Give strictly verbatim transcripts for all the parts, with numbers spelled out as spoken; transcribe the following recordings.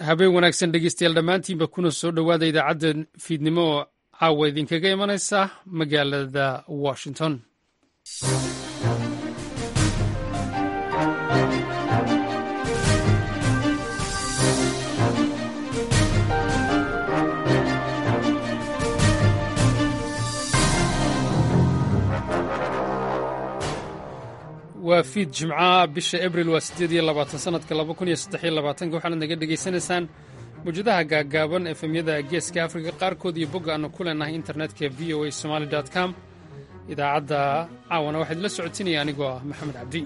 Habeen wanaagsan, dhegeystayaal dhammaantiinba, kuna soo dhowaada idaacadda fiidnimo oo caawa idinkaga imanaysa magaalada Washington. Waa fiid Jimcaha, bisha Abril waa siddeed iyo labaatan, sanadka laba kun iyo saddex iyo labaatanka. Waxaanad naga dhegaysanaysaan mawjadaha gaaggaaban, F M-yada Geeska Afrika qaarkood iyo bogga aanu ku leenahay internetka, V O A Somali com. Idaacadda caawana waxaa idinla socotinaya anigoo ah Maxamed Cabdi.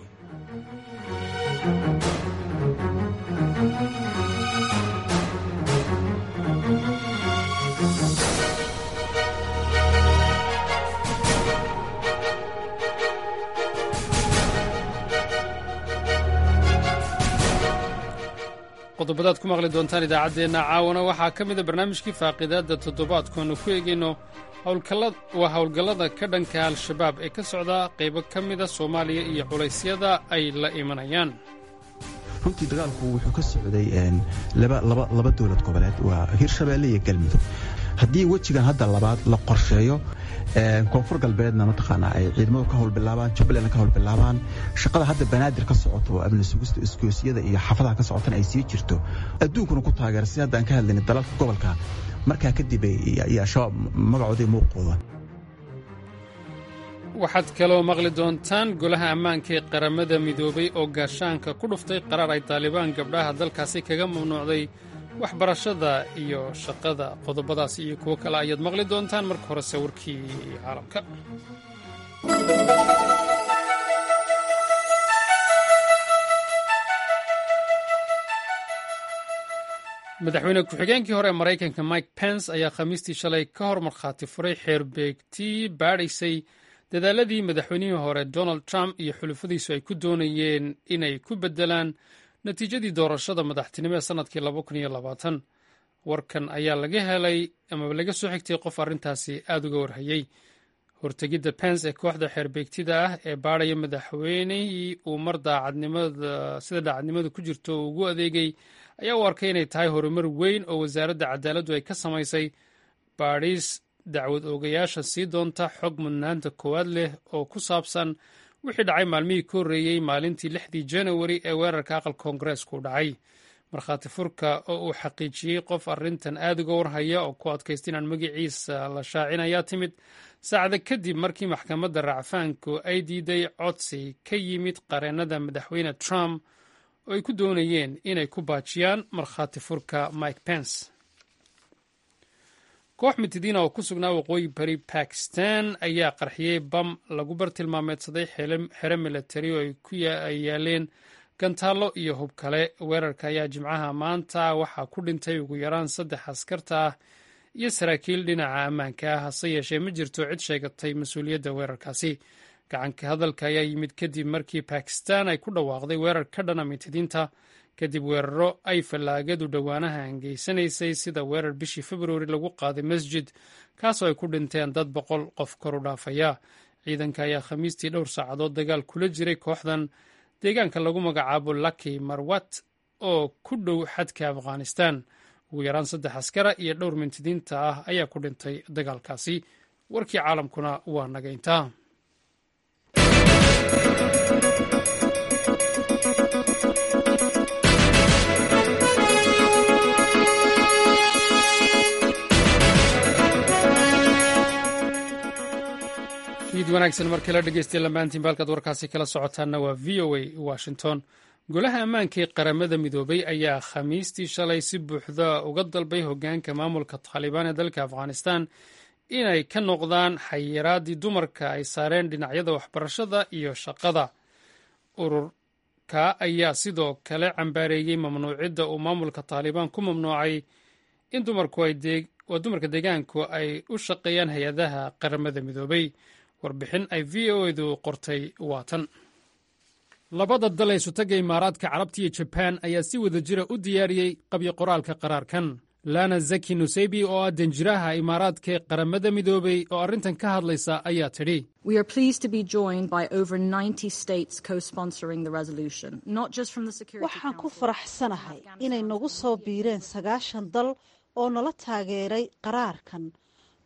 Qodobadaad ku maqli doontaan idaacaddeenna caawana waxaa ka mida barnaamijkii faaqidaadda toddobaadku, aanu ku eegayno waa howlgallada ka dhanka Al-Shabaab ee ka socda qaybo ka mida Soomaaliya iyo culaysyada ay la imanayaan. Runtii dagaalku wuxuu ka socday laba dowlad goboleed, waa Hirshabeelle iyo Galmudug. Haddii wejigan hadda labaad la qorsheeyo, Koonfur Galbeedna mataqaanaa ay ciidamadu ka howlbilaabaan, Jubbalandna ka howlbilaabaan, shaqada hadda Banaadir ka socoto oo amni sugista isgoosyada iyo xaafadaha ka socotana ay sii jirto, adduunkuna ku taageera, si hadda aan ka hadlayna dalalka gobolka, markaa kadib iyo Al-Shabaab magacoodii muuqooda. Waxaad kaloo maqli doontaan Golaha Ammaanka ee Qaramada Midoobay oo gaashaanka ku dhuftay qaraar ay Taalibaan gabdhaha dalkaasi kaga mamnuucday waxbarashada iyo shaqada. Qodobadaas iyo kuwo kale ayaad maqli doontaan. Marka horese warkii caalamka. Madaxweyne ku-xigeenkii hore ee Maraykanka Mike Pence ayaa Khamiistii shalay ka hor markhaati furay xeerbeegtii baadhaysay dadaaladii madaxweynihii hore Donald Trump iyo xulufadiisu ay ku doonayeen inay ku beddelaan natiijadii doorashada madaxtinimo ee sannadkii. Warkan ayaa laga helay amaba laga soo xigtay qof arrintaasi aada uga warhayey. Hortegidda Pence ee kooxda xeerbeegtida ah ee baadhaya madaxweynihii uu mar daacadnimada sida daacadnimadu ku jirto uu ugu adeegay ayaa u arkay inay tahay horumar weyn oo Wasaaradda Cadaaladdu ay ka samaysay baadhis dacwad oogayaasha sii doonta xog mudnaanta koowaad leh oo ku saabsan wixii dhacay maalmihii ka horreeyey maalintii lixdii Janawari ee weerarka aqalka Koongareesku dhacay. Markhaati furka oo uu xaqiijiyey qof arrintan aada uga warhaya oo ku adkaysta inaan magaciisa la shaacin ayaa timid saacada kadib markii maxkamadda racfaanku ay diiday codsi ka yimid qareennada madaxweyne Trump oo ay ku doonayeen inay ku baajiyaan markhaati furka Mike Pence. Koox mitidiina oo ku sugnaa waqooyi bari Bakistan ayaa qarxiyey bam lagu bartilmaameedsaday xero milatari oo ay yaaleen gantaallo iyo hub kale. Weerarka ayaa Jimcaha maanta waxaa ku dhintay ugu yaraan saddex askarta ah iyo saraakiil dhinaca ammaanka ah. Hase yeeshee, ma jirto cid sheegatay mas-uuliyadda weerarkaasi. Gacanka hadalka ayaa yimid kadib markii Bakistan ay ku dhawaaqday weerar ka dhana mitidiinta, kadib weeraro ay fallaagadu dhowaanaha angeysanaysay, sida weerar bishii Februari lagu qaaday masjid, kaasoo ay ku dhinteen dad boqol qof kor u dhaafaya. Ciidanka ayaa Khamiistii dhowr saacadood dagaal kula jiray kooxdan deegaanka lagu magacaabo Laki Marwat oo ku dhow xadka Afghanistan. Ugu yaraan saddex askara iyo dhowr mintidiinta ah ayaa ku dhintay dagaalkaasi. Warkii caalamkuna waa naga intaa. Fiid wanaagsan markii la dhegeystay lamaantiin. Halkaad warkaasi kala socotaanna waa V O A Washington. Golaha Ammaanka ee Qaramada Midoobay ayaa Khamiistii shalay si buuxda uga dalbay hogaanka maamulka Taalibaan ee dalka Afghanistan inay ka noqdaan xayiraadii dumarka ay saareen dhinacyada waxbarashada iyo shaqada. Ururka ayaa sidoo kale cambaareeyey mamnuucidda uu maamulka Taalibaan ku mamnuucay in dumarka deegaanku ay u shaqeeyaan hay-adaha Qaramada Midoobay. Warbixin ay V O A-du qortay waatan. Labada dal ee Isutagga Imaaraadka Carabta iyo Jabaan ayaa si wada jira u diyaariyey qabyo qoraalka qaraarkan. Lana Zaki Nuseybi oo ah danjiraha Imaaraadka ee Qaramada Midoobay oo arrintan ka hadlaysa ayaa tidhi: Waxaan ku faraxsanahay inay nagu soo biireen sagaashan dal oo nala taageeray qaraarkan,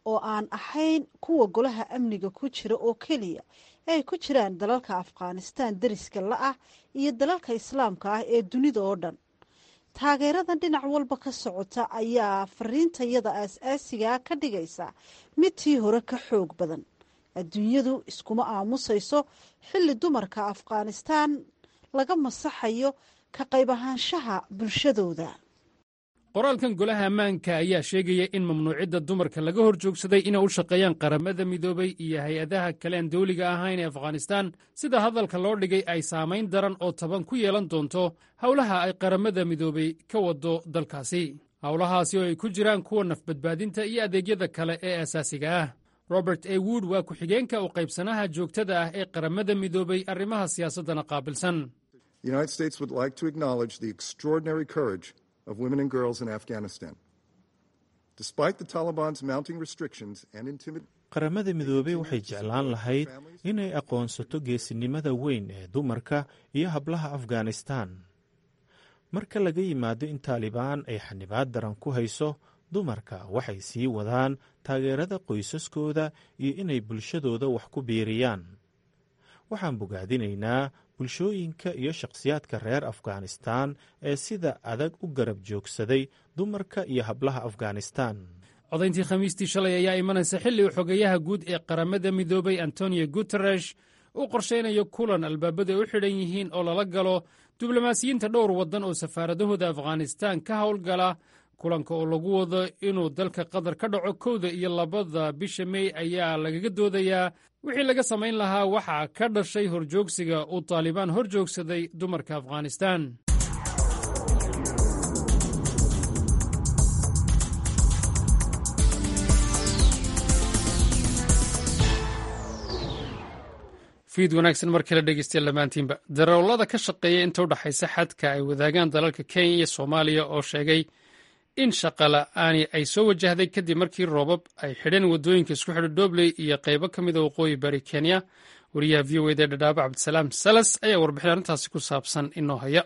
oo aan ahayn kuwa Golaha Amniga ku jira oo keliya, ee ay ku jiraan dalalka Afghanistan deriska la ah iyo dalalka Islaamka ah ee dunida oo dhan. Taageeradan dhinac walba ka socota ayaa fariintayada aas-aasigaa ka dhigaysa mid tii hore ka xoog badan. Adduunyadu iskuma aamusayso xilli dumarka Afghanistan laga masaxayo ka qayb ahaanshaha bulshadooda. Qoraalkan Golaha Ammaanka ayaa sheegaya in mamnuucidda dumarka laga hor joogsaday inay u shaqeeyaan Qaramada Midoobay iyo hay-adaha kale aan dawliga ahayn ee Afghanistan, sida hadalka loo dhigay, ay saamayn daran oo taban ku yeelan doonto howlaha ay Qaramada Midoobay ka wado dalkaasi, howlahaasi oo ay ku jiraan kuwa nafbadbaadinta iyo adeegyada kale ee asaasiga ah. Robert A Wood waa ku-xigeenka u qaybsanaha joogtada ah ee Qaramada Midoobay, arrimaha siyaasaddana qaabilsan. Of women and girls in Afghanistan. Despite the Taliban's mounting restrictions and intimidation. Qaramada Midoobey waxay jeclaan lahayd inay aqoonsato geesinimada weyn ee dumarka iyo hablaha Afghanistan. Marka laga yimaado in Taalibaan ay xanibaad daran ku hayso dumarka, waxay sii wadaan taageerada qoysaskooda iyo inay bulshadooda wax ku biiriyaan. Waxaan bogaadinaynaa bulshooyinka iyo shakhsiyaadka reer Afghanistan ee sida adag u garab joogsaday dumarka iyo hablaha Afghanistan. Codayntii Khamiistii shalay ayaa imanaysa xilli uu xogeyaha guud ee Qaramada Midoobay Antonio Guteresh uu qorshaynayo kulan albaabada u xidhan yihiin oo lala galo diblomaasiyiinta dhowr waddan oo safaaradahooda Afghanistan ka howlgala. Kulanka oo lagu wado inuu dalka Qatar ka dhaco kowda iyo labada bisha Mey ayaa lagaga doodayaa wixii laga samayn lahaa waxaa ka dhashay horjoogsiga uu Taalibaan hor joogsaday dumarka Afghanistan. Fiid wanaagsan mar kale dhegeystayaal dhammaantiinba. Darawallada ka shaqeeya inta u dhexaysa xadka ay wadaagaan dalalka Kenya iyo Soomaaliya oo sheegay in shaqa la'aani ay soo wajahday kadib markii roobab ay xidheen waddooyinka isku xidha Dhobley iyo qaybo ka mida waqooyi bari Kenya. Wariyaha V O eda Dhadhaaba, Cabdisalaam Salas, ayaa warbixin arrintaasi ku saabsan inoo haya.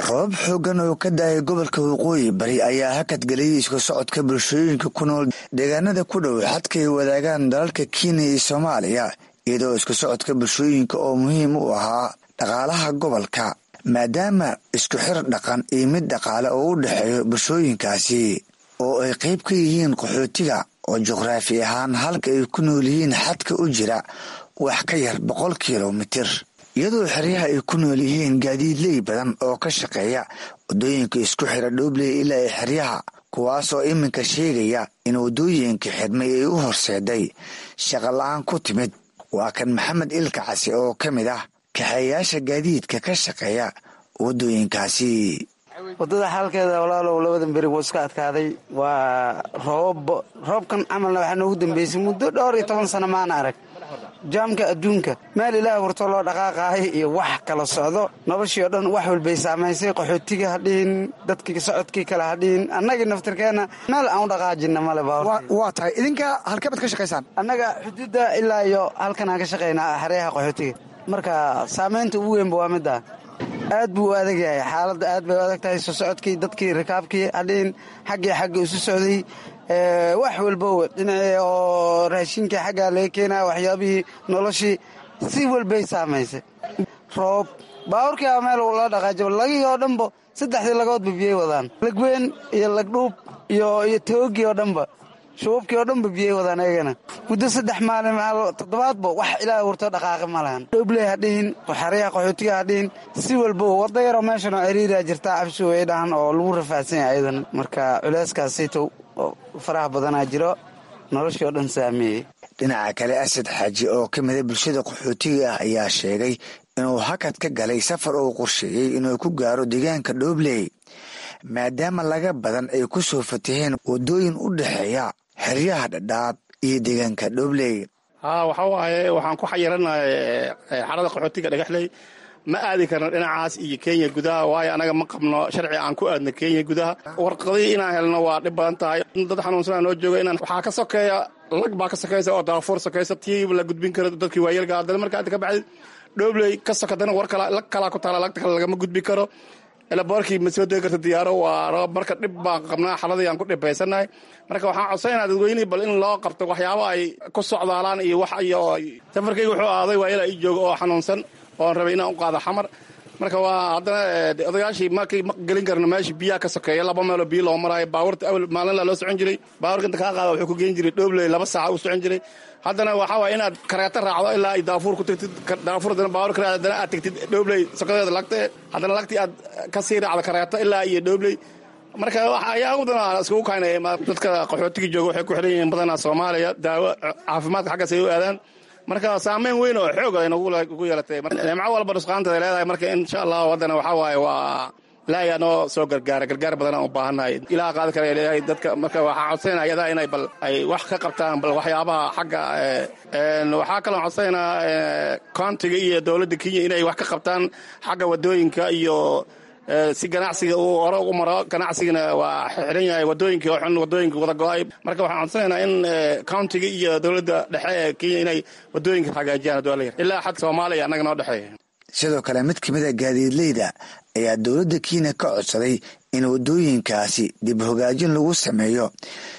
Roobab xooggan oo ka daayay gobolka Waqooyi Bari ayaa hakad geliyey isku socodka bulshooyinka ku nool deegaanada ku dhow xadka ay wadaagaan dalalka Kenya iyo Soomaaliya, iyadoo isku socodka bulshooyinka oo muhiim u ahaa dhaqaalaha gobolka, maadaama isku xir dhaqan iyo mid dhaqaale oo u dhexeeyo bulshooyinkaasi oo ay qayb ka yihiin qaxootiga oo juqraafi ahaan halka ay ku nool yihiin xadka u jira wax ka yar boqol kilomitir, iyadoo xeryaha ay ku nool yihiin gaadiidley badan oo ka shaqeeya waddooyinka isku xira Dhoobley ilaa ay xeryaha, kuwaas oo iminka sheegaya in waddooyinka xidhmay ay u horseeday shaqa la-aan ku timid. Waa kan Maxamed Ilka Casi oo ka mid ah kaxeeyaasha gaadiidka ka shaqeeya waddooyinkaasi. Waddada xaalkeeda, walaalow, labadan beri wuu iska adkaaday. Waa roobab. Roobkan camalna waxaa noogu dambeysay muddo dhowr iyo toban sano maana arag jaamka adduunka. Meel Ilaah warto loo dhaqaaqaayo iyo wax kala socdo, noloshii oo dhan wax walbay saamaysay. Qaxootiga ha dhihin, dadkii socodkii kale ha dhihin, annagii naftirkeenna meel aan u dhaqaajinna male. Waa tahay, idinka halkee baad ka shaqaysaan? Annaga xuduudda ilaa iyo halkan aan ka shaqaynaa, xeryaha qaxootiga. Marka saamaynta ugu weynba waa middaa. Aad buu u adag yahay xaaladda, aad bay u adag tahay. Soo socodkii dadkii rikaabkii hadhihin, xaggii xagga isu socday, wax walbowa dhinacii oo raashinkii xaggaa laga keenaya, waxyaabihii noloshii si walbay saamaysay. Roob baabuurkii a meel la dhaqaajiba, lagihii oo dhanba saddexdii lagoodba biyey wadaan, lagweyn iyo lagdhuub iyo iyo toogii oo dhanba, shuubkii oo dhanba biyey wadaan ayagana. Muddo saddex maalin toddobaadba wax Ilaah wurto dhaqaaqi ma lahan. Dhobley ha dhihin, xeryaha qaxootiga ha dhihin, si walba wadda yaroo meeshan oo ciriiraa jirtaa, cabsi way dhahan oo lagu rafaadsan yahay ayadana. Marka culeyskaasito faraha badanaa jiro, noloshii oo dhan saameeyey. Dhinaca kale, Asad Xaaji oo ka mida bulshada qaxootiga ah ayaa sheegay inuu hakad ka galay safar uu qorsheeyey inuu ku gaaro deegaanka Dhoobley, maadaama laga badan ay ku soo fataheen waddooyin u dhexeeya xeryaha Dhadhaab iyo deegaanka Dhoobley. Haa, waxa waaye waxaan ku xayiranahay xarada qaxootiga Dhagaxley. Ma aadi karno dhinacaas iyo Kenya gudaha, waayo anaga ma qabno sharci aan ku aadno Kenya gudaha. Warqadii inaan helno waa dhib badan tahay. Dad xanuunsanaa noo jooga, inaan waxaa ka sokeeya lag baa ka sokeysa oo Daafuur sokeysa, tii la gudbin karo dadkii waayeelka. Haddana marka aad ka baxdid Dhobley ka sokadana war kala lag kalaa ku taala, lagta kale lagama gudbi karo. Elaboorkii ma soo degi karta diyaaro, waa roob. Marka dhib baan qabnaa, xaladii aan ku dhibaysanahay. Marka waxaan codsanayna dadweynihii bal in loo qabto waxyaabo ay ku socdaalaan iyo wax. Iyo safarkayga wuxuu aaday waayela ii jooga oo xanuunsan oon rabay inaan u qaado Xamar. Marka waa haddana odayaashii markii ma gelin karno meesha, biyaha ka sokeeya, laba meeloo biyo loo maraayo. Baabuurta awal maalinla loo socon jiray, baabuurka inta kaa qaada wuxuu ku geen jiray Dhobley, laba saaca u socon jiray. Haddana waxaa waaya inaad kareeto raacdo ilaa ay Daafuur ku tagtid, Daafuur haddana baabuur ka raacdo, haddana aad tagtid Dhobley sokadeeda lagte, haddana lagtii aad ka sii raacdo kareeto ilaa iyo Dhobley. Marka ayaa ugu badan iskugu kaynaya dadka qaxootiga jooga waxay ku xiran yihiin badanaa Soomaaliya, daawo caafimaadka xaggaas ay u aadaan. Marka saameyn weyn oo xoog ay nagu yeelatay. Nimco walba nusqaanteeda leedahay. Marka insha Allahu haddana waxaa waaye waa Ilaahay noo soo gargaara, gargaar badan aan u baahannahay, Ilaah qaadi kara leeyahay dadka. Marka waxaan codsanayna ayadaa inay bal ay wax ka qabtaan bal waxyaabaha xagga. Waxaa kaloo codsanaynaa countiga iyo dowladda Kenya inay wax ka qabtaan xagga wadooyinka iyo si ganacsiga uu hore ugu maro. Ganacsigana waa xiran yahay, wadooyinkii oo xun, wadooyinka wada go-ay. Marka waxaan codsanaynaa in countiga iyo dowladda dhexe ee Kenya inay wadooyinka hagaajiyaan hadduu Alla yar ilaa xad Soomaaliya annaga noo dhexeeya. Sidoo kale mid kamid a gaadiidleyda ayaa dowladda Kenya ka codsaday in wadooyinkaasi dib hogaajin lagu sameeyo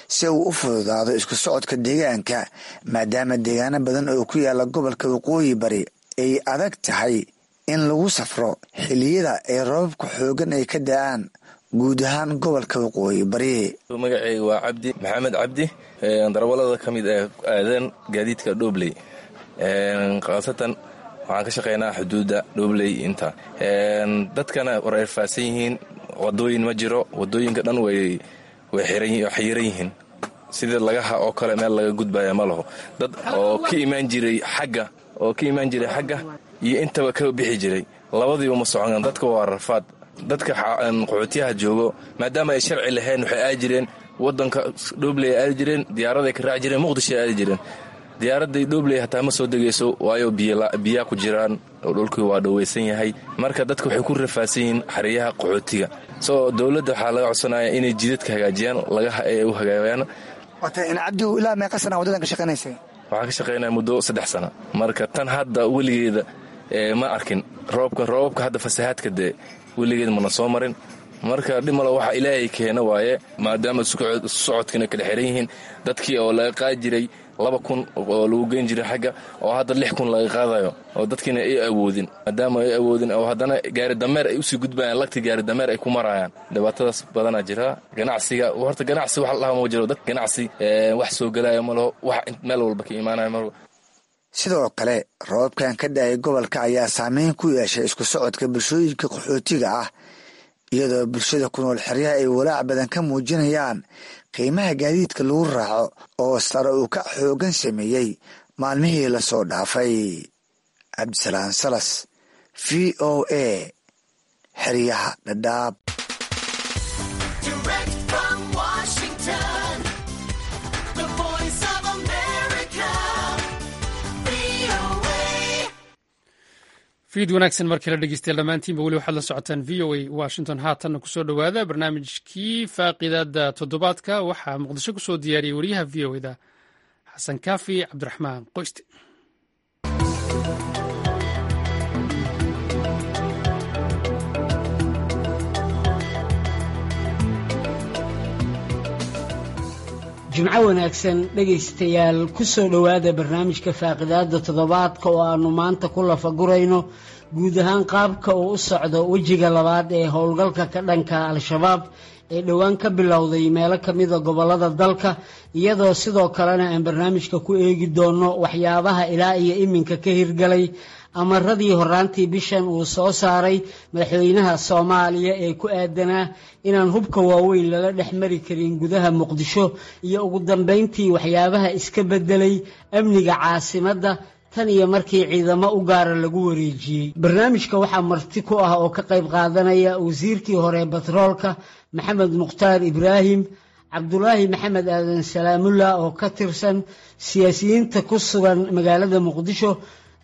si uu u fududaado isku socodka deegaanka, maadaama deegaano badan oo ku yaala gobolka Waqooyi Bari ay adag tahay in lagu safro xilliyada ay roobabka xoogan ay ka da-aan guud ahaan gobolka Waqooyi Bari. Magacayga waa Cabdi Maxamed Cabdi, darawalada ka mid ee aadeen gaadiidka Dhobley, khaasatan waxaan ka shaqeynaa xuduudda Dhobley. Inta dadkana war erfaadsan yihiin, wadooyin ma jiro, wadooyinka dhan way way xayiran yihiin, sida lagaha oo kale meel laga gudbaya ma laho. Dad oo ka imaan jiray xagga oo ka imaan jiray xagga iyo intaba ka bixi jiray, labadiiba ma soconan. Dadka waa rafaad. Dadka qaxootiyaha joogo, maadaama ay sharci lahayn, waxay aadi jireen wadanka Dhobley, aadi jireen diyaaraday ka raaci jireen, Muqdishoay aadi jireen. Diyaaraday Dhobley hataa ma soo degayso, waayo biyaa ku jiraan oo dhulkii waa dhoweysan yahay. Marka dadka waxay ku rafaadsan yihiin xeryaha qaxootiga. Soo dowladda waxaa laga codsanaya inay jidadka hagaajiyaan, lagaha ay u hagaajiyaan. Cabdi, ilaa meeqa sana waddadan ka shaqaynaysay? Waxaan ka shaqaynaya muddo saddex sana. Marka tan hadda weligeeda ma arkin roobka roobabka hadda fasahaadka dee weligeed mana soo marin. Marka dhimalo waxa Ilaahay keena waaye, maadaama socodkiina kala xiran yihiin. Dadkii oo laga qaadi jiray laba kun oo lagu geyn jiray xagga, oo hadda lix kun laga qaadayo, oo dadkiina ay awoodin, maadaama ay awoodin oo haddana gaari dameer ay usii gudbayaan, lagti gaari dameer ay ku marayaan. Dhibaatadaas badanaa jira. Ganacsiga horta ganacsi wax la dhaha ma jiro, dad ganacsi wax soo gelaayo ma laho, wax meel walba ka imaanayo ma laho. Sidoo kale roobabkan ka da-ay gobolka ayaa saameyn ku yeeshay isku socodka bulshooyinka qaxootiga ah, iyadoo bulshada ku nool xeryaha ay walaac badan ka muujinayaan qiimaha gaadiidka lagu raaco oo sare uu ka xoogan sameeyey maalmihii lasoo dhaafay. Cabdisalaan Salas, V O A, xeryaha Dhadhaab. Fiid wanaagsan markii la dhegeystayaal dhammaantiinba. Weli waxaad la socotaan V O A Washington. Haatanna kusoo dhowaada barnaamijkii faaqidaada toddobaadka. Waxaa Muqdisho kusoo diyaariyey wariyaha V O A da Xasan Kaafi Cabdiraxmaan Qoyste. Jimco wanaagsan dhegaystayaal, ku soo dhowaada barnaamijka faaqidaada toddobaadka oo aanu maanta ku lafagurayno guud ahaan qaabka uu u socdo wejiga labaad ee howlgalka ka dhanka Al-Shabaab ee dhowaan ka bilowday meelo ka mida gobollada dalka, iyadoo sidoo kalena aan barnaamijka ku eegi doono waxyaabaha ilaa iyo iminka ka hirgalay amaradii horaantii bishan uu soo saaray madaxweynaha Soomaaliya ee ku aadanaa inaan hubka waaweyn lala dhex mari karin gudaha Muqdisho, iyo ugu dambeyntii waxyaabaha iska beddelay amniga caasimadda tan iyo markii ciidamo u gaara lagu wareejiyey. Barnaamijka waxaa marti ku ah oo ka qayb qaadanaya wasiirkii hore batroolka Maxamed Mukhtaar Ibraahim, Cabdulaahi Maxamed Aadan Salaamulla oo ka tirsan siyaasiyiinta ku sugan magaalada Muqdisho,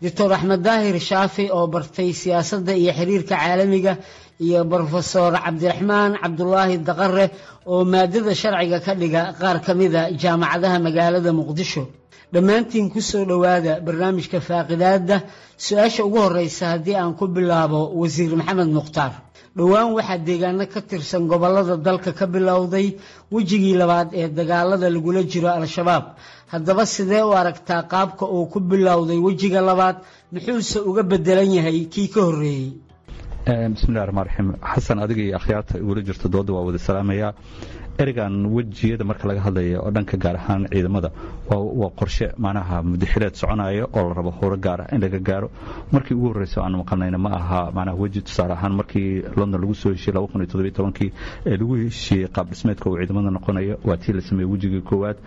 Doctor Axmed Daahir Shaafi oo bartay siyaasadda iyo xiriirka caalamiga, iyo Brofesor Cabdiraxmaan Cabdulaahi Daqare oo maadada sharciga ka dhiga qaar ka mida jaamacadaha magaalada Muqdisho. Dhammaantiin ku soo dhowaada barnaamijka faaqidaadda. Su-aasha ugu horeysa haddii aan ku bilaabo Wasiir Maxamed Mukhtaar, dhowaan waxaa deegaano ka tirsan gobolada dalka ka bilowday wejigii labaad ee dagaalada lagula jiro Al-Shabaab. Haddaba sidee u aragtaa qaabka uu ku bilowday wejiga labaad, muxuuse uga bedelan yahay kii ka horreeyey? Bismillahi raxmaan raxiim. Xasan, adiga iyo akhyaarta igula jirta dooda waa wada salaamayaa. Ereygan wejiyada marka laga hadlayo oo dhanka gaar ahaan ciidamada, waa qorshe macnaha mudaxileed soconaya oo la rabo howro gaar ah in laga gaaro. Markii ugu horreysa aanu maqalnayna ma aha macnaha weji. Tusaale ahaan, markii London lagu soo heshiiyey laba kun iyo toddobiyo tobankii ee lagu heshiiyey qaab dhismeedka uu ciidamada noqonayo, waa tii la sameeyey wejigii koowaad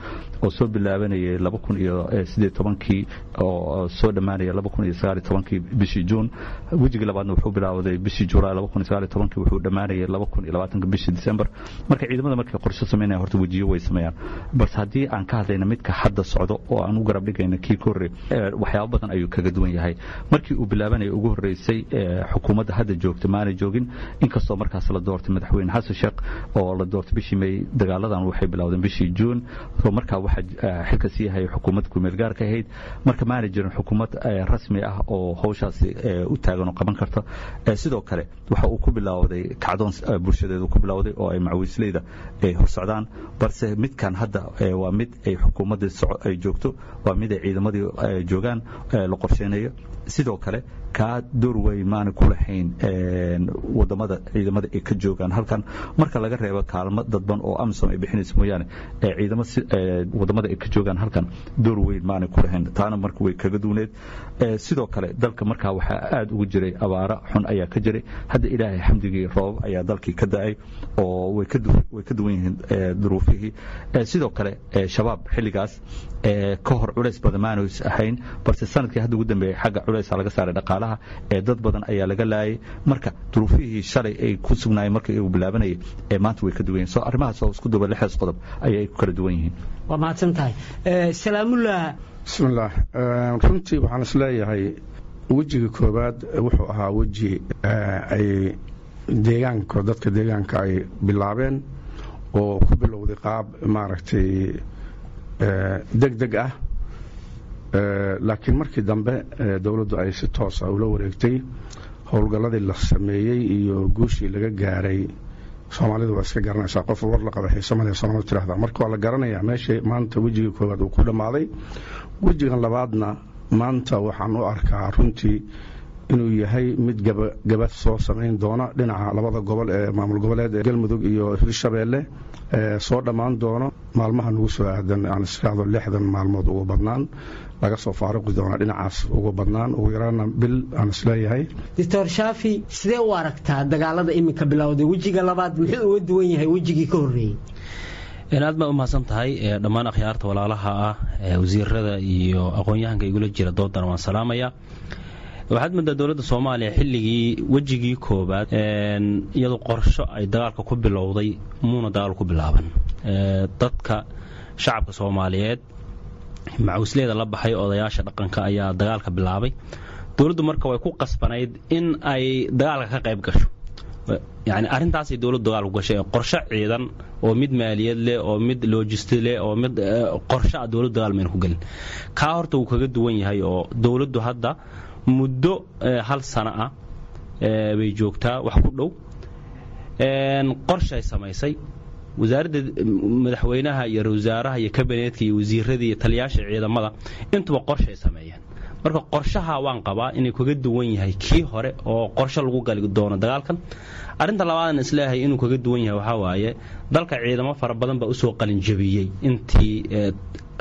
oo soo bilaabanayay laba kun iyo siddeed tobankii oo soo dhammaanaya laba kun iyo sagaal iyo tobankii bishii Juun. Wejigii labaadna wuxuu bilaawday bishii Julaay laba kun iyo sagaal iyo tobankii, wuxuu dhammaanayay laba kun iyo labaatanka bishii December. Marka ciidamada markay qorshe sameynaya horta wejiyo way sameeyaan, balse haddii aan ka hadlayna midka hadda socdo oo aan u garab dhigayna kii ka horreey, waxyaabo badan ayuu kaga duwan yahay. Markii uu bilaabanaya ugu horreysay, xukuumadda hadda joogta maanay joogin, inkastoo markaas la doortay Madaxweyne Xasan Sheekh oo la doortay bishii May. Dagaaladan waxay bilowdeen bishii Juun, oo markaa waxaa xilka sii hayay xukuumad kumeel gaarka ahayd. Marka maanay jirin xukuumad rasmi ah oo howshaasi u taagan oo qaban karta. Sidoo kale waxa uu ku bilowday kacdoon bulshadeedu ku bilowday oo ay macawiisleyda ay hor socdaan, balse midkan hadda waa mid ay xukuumaddii ay joogto, waa mid ay ciidamadii joogaan, la qorsheynayo. Sidoo kale kaa door weyn maana ku lahayn wadamada ciidamada ay ka joogaan halkan, marka laga reebo kaalmo dadban oo AMISOM ay bixinayso mooyaane. Ciidamo wadamada ay ka joogaan halkan door weyn maana ku lahayn, taana marka way kaga duwneed. Sidoo kale dalka markaa waxaa aada ugu jiray abaaro xun ayaa ka jiray. Hadda Ilaahay xamdigii roobab ayaa dalkii ka da'ay oo way ka duwan yihiin duruufihii. Sidoo kale Shabaab xilligaas ka hor culays badan maanu ahayn, balse sanadkii hadda ugu dambeeyey xagga culaysa laga saaray dhaqaalaha ee dad badan ayaa laga laayay. Marka duruufihii shalay ay ku sugnaayeen markii uu bilaabanayay ee maanta way ka duwan yihiin. Soo arrimahaas oo isku duba lixdaas qodob ayay ku kala duwan yihiin. Waa mahadsan tahay, Salaamullah. Bismillaah. Runtii waxaan isleeyahay wejiga koowaad wuxuu ahaa weji ay deegaanka, dadka deegaanka ay bilaabeen oo ku bilowday qaab maaragtay deg deg ah, laakiin markii dambe dowladdu ay si toosa ula wareegtay howlgalladii la sameeyey iyo guushii laga gaaray. Soomaalidu waa iska garanaysaa, qof war la qaba xiise male Soomaalidu tirahdaa. Marka waa la garanayaa meesha maanta wejiga koowaad uu ku dhammaaday. Wejigan labaadna maanta waxaan u arkaa runtii inuu yahay mid gabagaba soo samayn doona dhinaca labada gobol ee maamul goboleed ee Galmudug iyo Hirshabeelle, soo dhammaan doono maalmaha nagu soo aadan, aan israacdo lixdan maalmood ugu badnaan laga soo faaruqi doona dhinacaas, ugu badnaan ugu yaraana bil aan isleeyahay. Doctor Shaafi, sidee u aragtaa dagaalada iminka bilowday wejiga labaad, muxuu uga duwan yahay wejigii ka horreeyey? Aad baa u mahadsan tahay. Dhammaan akhyaarta walaalaha ah, wasiirada iyo aqoon-yahanka igula jira doodana waan salaamaya. Waxaad moodaa dowladda Soomaaliya xilligii wejigii koowaad iyadoo qorsho ay dagaalka ku bilowday muuna dagaal ku bilaaban. Dadka shacabka Soomaaliyeed, macawisleeda la baxay, odayaasha dhaqanka ayaa dagaalka bilaabay. Dowladdu marka way ku qasbanayd in ay dagaalka ka qayb gasho. Yani arrintaasay dowladdu dagaal ku gashay, qorshe ciidan oo mid maaliyad leh oo mid logisti leh oo mid qorshe ah dowladdu dagaal mayna ku gelin. Kaa horta wuu kaga duwan yahay oo dowladdu hadda muddo hal sano ah bay joogtaa wax ku dhow, qorshay samaysay wasaaradda madaxweynaha iyo wasaaraha iyo kabineetka iyo wasiiradii iyo taliyaasha ciidamada intuba qorshay sameeyeen. Marka qorshaha waan qabaa inay kaga duwan yahay kii hore oo qorshe lagu gali doono dagaalkan. Arrinta labaadna isleeyahay inuu kaga duwan yahay waxaa waaye dalka ciidamo fara badan baa usoo qalinjabiyey intii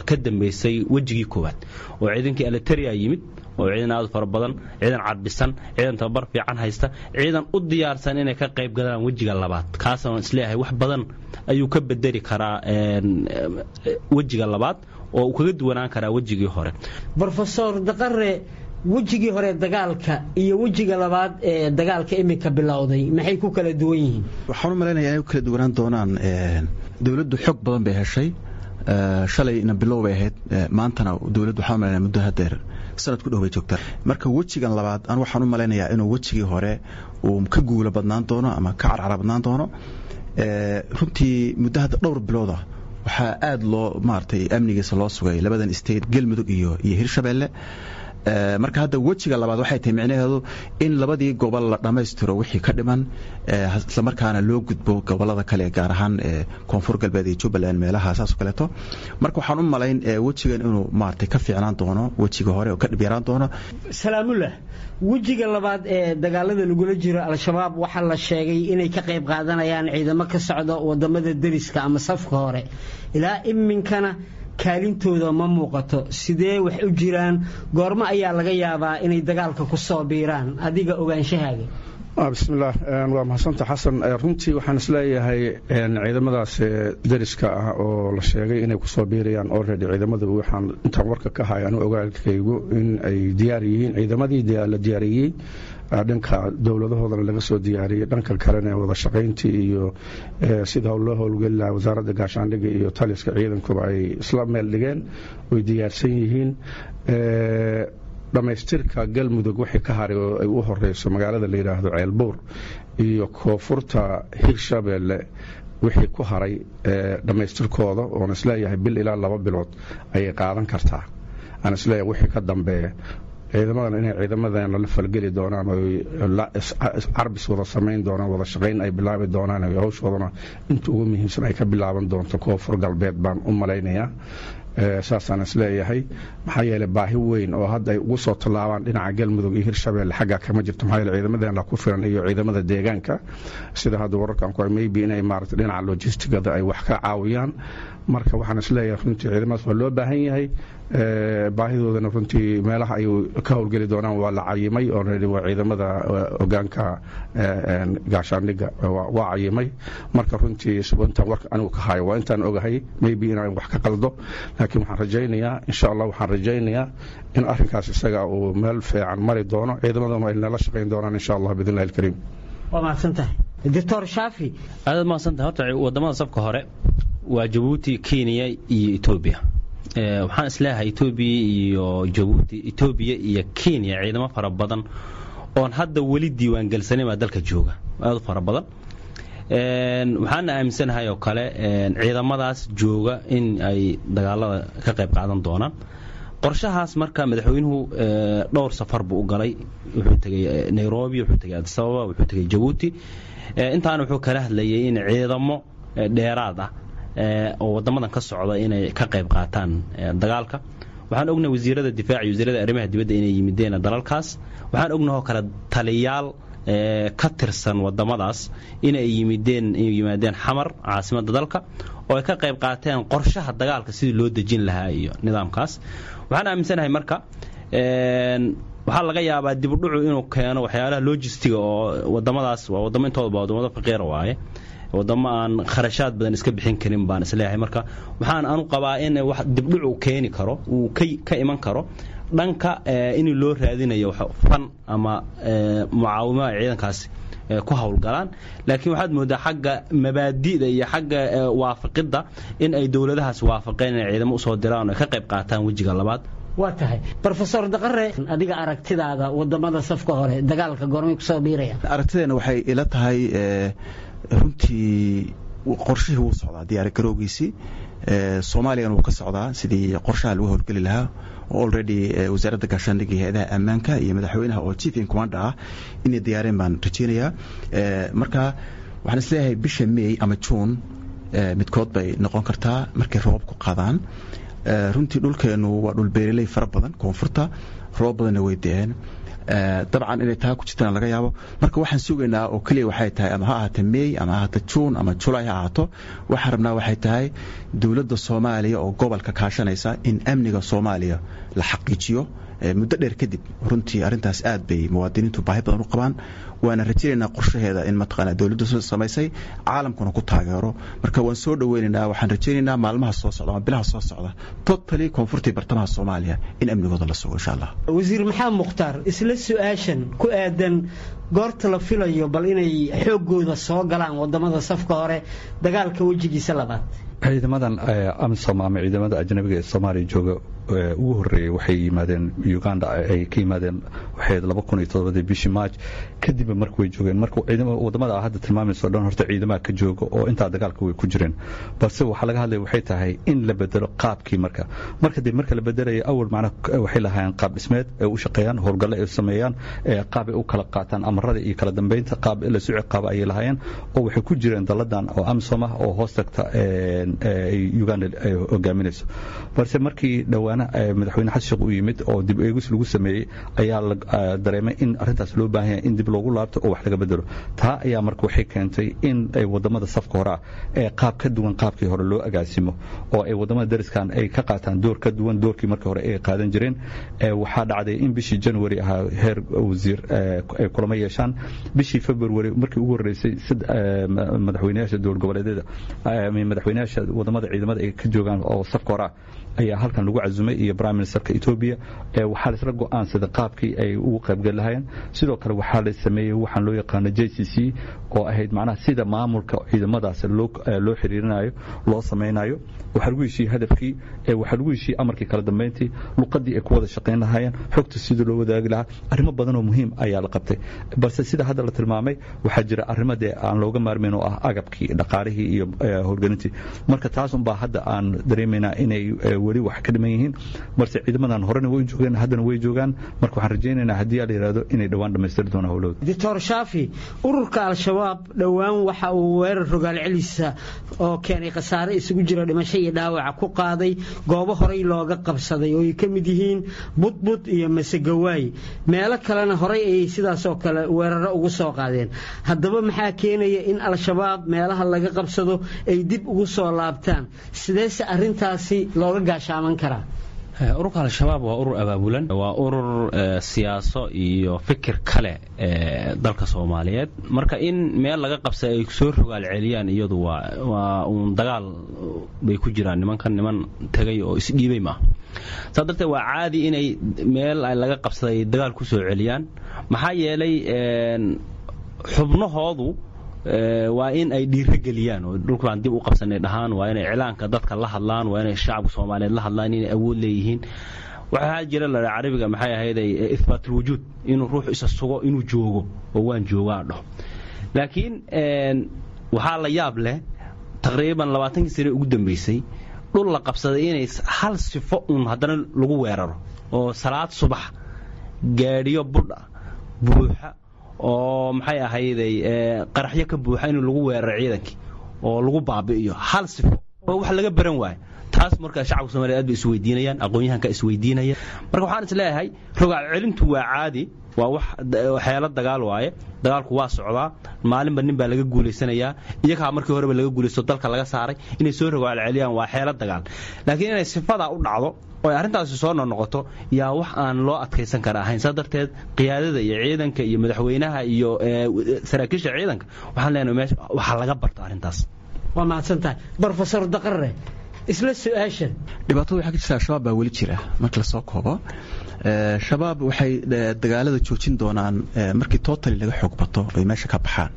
ka dambaysay wejigii koowaad, oo ciidankii alitaria yimid, oo ciidan aad u fara badan, ciidan cadbisan, ciidan tababar fiican haysta, ciidan u diyaarsan inay ka qayb galaan wejiga labaad. Kaasna isleeyahay wax badan ayuu ka bedeli karaa wejiga labaad oo uu kaga duwanaan karaa wejigii hore. Brofesor Daqare, wejigii hore dagaalka iyo wejiga labaad ee dagaalka iminka bilowday maxay ku kala duwan yihiin? Waxaan u malaynayaa inay ku kala duwanaan doonaan, dowladdu xog badan bay heshay. Shalayna bilow bay ahayd, maantana dowladdu waxaan u malaynaya muddo hadeer sanad ku dhow bay joogtaa. Marka wejigan labaad an waxaan u malaynayaa inuu wejigii hore uu ka guulo badnaan doono ama ka carcara badnaan doono. Runtii muddo hadda dhowr bilooda waxaa aada loo maaragtay amnigiisa loo sugay labadan state, Galmudug iyo iyo Hirshabeelle. Marka hadda wejiga labaad waxay tahay micnaheedu in labadii gobol la dhammaystiro wixii ka dhiman, islamarkaana loo gudbo gobolada kale, gaar ahaan Koonfur Galbeed iyo Jubbaland, meelaha saas oo kaleeto. Marka waxaan u malayn wejigan inuu maaragtay ka fiicnaan doono wejiga hore oo ka dhib yaraan doono. Salaamullah, wejiga labaad ee dagaalada lagula jiro Al-Shabaab waxaa la sheegay inay ka qayb qaadanayaan ciidamo ka socda wadamada deriska ama safka hore. Ilaa iminkana kaalintooda ma muuqato. Sidee wax u jiraan? Goormo ayaa laga yaabaa inay dagaalka ku soo biiraan, adiga ogaanshahaaga? Bismillaah, waa mahadsanta Xasan. Runtii waxaan isleeyahay ciidamadaas deriska ah oo la sheegay inay kusoo biirayaan, already ciidamadu waxaan intaan warka ka hay anu ogaalkaygu in ay diyaar yihiin. Ciidamadii la diyaariyey dhanka dowladahoodana laga soo diyaariyey, dhanka kalena wada shaqayntii iyo sida loo howlgeli lahaa wasaaradda gaashaandhigga iyo taliska ciidankuba ay isla meel dhigeen, way diyaarsan yihiin. Dhammaystirka Galmudug wixii ka haray oo ay u horeyso magaalada la yidhaahdo Ceelbuur iyo koonfurta Hirshabeelle wixii ku haray dhammaystirkooda, oon isleeyahay bil ilaa laba bilood ayay qaadan kartaa, aan isleeyahay wixii ka dambeeya ciidamadan inay ciidamadan la falgeli doonaan oo carbis wada samayn doonaan, wada shaqayn ay bilaabi doonaan, hawshoodana inta ugu muhiimsan ay ka bilaaban doonto Koonfur Galbeed baan u malaynayaa. Saasaan isleeyahay, maxaa yeelay baahi weyn oo hadda ay ugu soo tallaabaan dhinaca Galmudug iyo Hirshabeelle xaggaa kama jirto, maxaa yeelay ciidamadeena ku filan iyo ciidamada deegaanka. Sida hadda wararkan ku maybe inay maaragtay dhinaca logistigada ay wax ka caawiyaan. Marka waxaan isleeyahay runtii ciidamadaas waa loo baahan yahay, baahidoodana runtii meelaha ay ka howlgeli doonaan waa la cayimay already, waa ciidamada hogaanka gaashaandhigga waa cayimay. Marka runtii intaan warka anigu ka hayo waa intaan ogahay, maybe inaan wax ka qaldo, laakiin waxaan rajaynayaa insha Allah, waxaan rajaynayaa in arrinkaas isaga uu meel fiican mari doono, ciidamaduna ay nala shaqayn doonaan insha Allah biidnillahi alkariim. Waa mahadsantahay, Doctor Shaafi. Aad mahadsantahay. Horta wadamada safka hore waa Jabuuti, Kenya iyo Etoobiya. Waxaan isleeyahay Etoobiya iyo Jabuuti, Etoobiya iyo Kenya ciidamo fara badan oon hadda weli diiwaangelsanin baa dalka jooga, aad u fara badan. Waxaana aaminsanahay oo kale ciidamadaas jooga in ay dagaalada ka qayb qaadan doonaan. Qorshahaas marka madaxweynuhu dhowr safar buu u galay. Wuxuu tegey Nairobi, wuxuu tegey Addis Ababa, wuxuu tegey Jabuuti. Intaana wuxuu kala hadlayay in ciidamo dheeraad ah oo wadamadan ka socda inay ka qayb qaataan dagaalka. Waxaan ognahay wasiirada difaaca iyo wasiirada arrimaha dibadda inay yimideen dalalkaas. Waxaan ognahay oo kale taliyaal ka tirsan wadamadaas inay yimideen, inay yimaadeen Xamar, caasimadda dalka, oo ay ka qayb qaateen qorshaha dagaalka sidii loo dejin lahaa iyo nidaamkaas. Waxaan aaminsanahay marka waxaa laga yaabaa dib u dhucu inuu keeno waxyaalaha logistiga oo wadamadaas waa wadamo intooda ba wadamada faqiira waaye, wadamo aan kharashaad badan iska bixin karin baan isleeyahay. Marka waxaan anu qabaa in wax dibdhuc uu keeni karo, uu ka iman karo dhanka in loo raadinayo fan ama mucaawimo ay ciidankaasi ku howlgalaan. Laakiin waxaad moodaa xagga mabaadi'da iyo xagga waafaqidda in ay dowladahaas waafaqeen inay ciidamo usoo diraan oo ay ka qayb qaataan wejiga labaad. Waa tahay, Brofesor Daqare, adiga aragtidaada wadamada safka hore dagaalka goormay kusoo biirayaan? Aragtideena waxay ila tahay runtii qorshihii wuu socdaa, diyaar garowgiisii Soomaaliyana wuu ka socdaa sidii qorshaha lagu howlgeli lahaa. Already wasaaradda gaashaandhigga iyo hay-adaha ammaanka iyo madaxweynaha oo chief in commander ah inay diyaareen baan rajeynayaa. Marka waxaan isleeyahay bisha May ama June midkood bay noqon kartaa markay roobabku qaadaan. Runtii dhulkeenu waa dhul beeraley fara badan, koonfurta roob badanna way de'een, dabcan inay taa ku jirtana laga yaabo. Marka waxaan sugaynaa oo keliya waxay tahay ama ha ahaata May ama ha ahaata June ama July ha ahaato, waxaan rabnaa waxay tahay dowladda Soomaaliya oo gobolka kaashanaysa in amniga Soomaaliya la xaqiijiyo muddo dheer kadib. Runtii arrintaas aad bay muwaadiniintu baahi badan u qabaan, waana rajaynaynaa qorshaheeda in mataqaanaa dowladdu samaysay caalamkuna ku taageero. Marka waan soo dhaweynaynaa, waxaan rajaynaynaa maalmaha soo socda ama bilaha soo socda totally koonfurtii bartamaha Soomaaliya in amnigooda la sugo insha Allah. Wasiir Maxamed Mukhtaar, isla su-aashan ku aadan Goorta la filayo bal inay xooggooda soo galaan wadamada safka hore dagaalka wejigiisa labaad? Ciidamadan AMISOM ama ciidamada ajnabiga ee Soomaaliya jooga ugu horeeyay waxay yimaadeen Uganda, ay ka yimaadeen waxay laba kun iyo toddobadii bishii March. Kadib marka way joogeen, marka ciidamada wadamada hadda tilmaamayso dhan horta ciidamaha ka jooga oo intaa dagaalka way ku jireen. Balse waxaa laga hadlaya waxay tahay in la bedelo qaabkii marka marka dib marka la bedelayo awal macna waxay lahaayeen qaab dhismeed ay u shaqeeyaan, howlgalle ay sameeyaan, qaab ay u kala qaataan amarada iyo kala dambeynta, qaab la soo ciqaabo ayay lahaayeen, oo waxay ku jireen daladan oo AMISOM ah oo hoos tagta Uganda ay hogaaminayso. Balse markii dhowaana madaxweyne Xasan Sheekh uu yimid oo dib eegis lagu sameeyey ayaa la dareemay in arrintaas loo baahan yahay in dib loogu laabto oo wax laga bedelo. Taa ayaa marka waxay keentay in ay wadamada safka hore ah ee qaab ka duwan qaabkii hore loo agaasimo, oo ay wadamada dariskan ay ka qaataan door ka duwan doorkii markii hore ay qaadan jireen. Waxaa dhacday in bishii January ahaa heer wasiir ay kulamo yeeshaan. Bishii February markii ugu horeysay madaxweynayaasha dowlad goboleedyada, madaxweynayaasha wadamada ciidamada ay ka joogaan oo safka hore ah ayaa halkan lagu casumay, iyo prime ministerka Ethiopia. Waxaa la isla go'aansaday qaabkii ay ugu qaybgali lahaayeen. Sidoo kale waxaa la sameeyey waxaan loo yaqaano J C C, oo ahayd macnaha sida maamulka ciidamadaas loo loo xiriirinayo, loo sameynayo. Waxaa lagu heshiiyey hadafkii, waxaa lagu heshiiyey amarkii, kala dambeyntii, luqadii ay ku wada shaqayn lahaayeen, xogta sidii loo wadaagi lahaa. Arrimo badan oo muhiim ayaa la qabtay. Balse sida hadda la tilmaamay waxaa jira arrimo dee aan looga maarmayn oo ah agabkii, dhaqaalihii iyo howlgelintii. Marka taas unbaa hadda aan dareemaynaa inay weli wax ka dhiman yihiin. Balse ciidamadan horena way joogeen, haddana way joogaan. Marka waxaan rajaynaynaa haddii la yidhaahdo inay dhowaan dhammaystiri doonaan howlahooda. Doctor Shaafi, ururka Al-Shabaab dhowaan waxa uu weerar rogaal celisa oo keenay khasaare isugu jira dhimasho iyo dhaawaca ku qaaday goobo horey looga qabsaday oo ay ka mid yihiin Budbud iyo Masegawaay. Meelo kalena horey ayay sidaas oo kale weeraro ugu soo qaadeen. Haddaba maxaa keenaya in Al-Shabaab meelaha laga qabsado ay dib ugu soo laabtaan? Sideese arrintaasi looga gaashaaman karaa? Ururka Al-Shabaab waa urur abaabulan, waa urur siyaaso iyo fikir kale dalka Soomaaliyeed. Marka in meel laga qabsay ay soo rogaal celiyaan iyadu waa waa uun dagaal bay ku jiraan nimankan, niman tegay oo isdhiibay maaha. Saa darteed waa caadi inay meel laga qabsaday dagaal ku soo celiyaan, maxaa yeelay xubnahoodu waa in ay dhiiro geliyaan oo dhulka baan dib u qabsanay dhahaan, waa inay iclaanka dadka la hadlaan, waa inay shacabka Soomaaliyeed la hadlaan inay awood leeyihiin. Waxaa jira la carabiga maxay ahayd ithbaatul wujuud, inuu ruuxu isa sugo inuu joogo oo waan joogaa dhaho. Laakiin waxaa la yaab leh taqriiban labaatankii sane ugu dambeysay dhul la qabsaday inay hal sifo uun haddana lagu weeraro, oo salaad subax gaadhiyo budha buuxa oo maxay ahayday qaraxyo ka buuxa in lagu weeraro ciidankii oo lagu baabi'iyo, hal sifo oo wax laga baran waayo. Taas marka shacabka Soomaaliyeed aad bay isweydiinayaan, aqoon-yahanka isweydiinaya. Marka waxaan is leeyahay rogaal celintu waa caadi, waa wax xeelad dagaal waaye. Dagaalku waa socdaa, maalinba nin baa laga guulaysanayaa. Iyagaa markii horeba laga guulaysto, dalka laga saaray, inay soo rogaal celiyaan waa xeelad dagaal. Laakiin inay sifadaa u dhacdo oo ay arrintaasi soo noqnoqoto yaa wax aan loo adkaysan kara ahayn. Saa darteed qiyaadada iyo ciidanka iyo madaxweynaha iyo saraakiisha ciidanka waxaan leenahay meesha waxaa laga barto arrintaas. Waa mahadsantahay, Brofesor Daqare. Isla su-aashan. Dhibaatada waxaa ka jirta Al-Shabaab baa weli jira. Marka lasoo koobo, Shabaab waxay dagaalada joojin doonaan markii totally laga xoog bato ay meesha ka baxaan.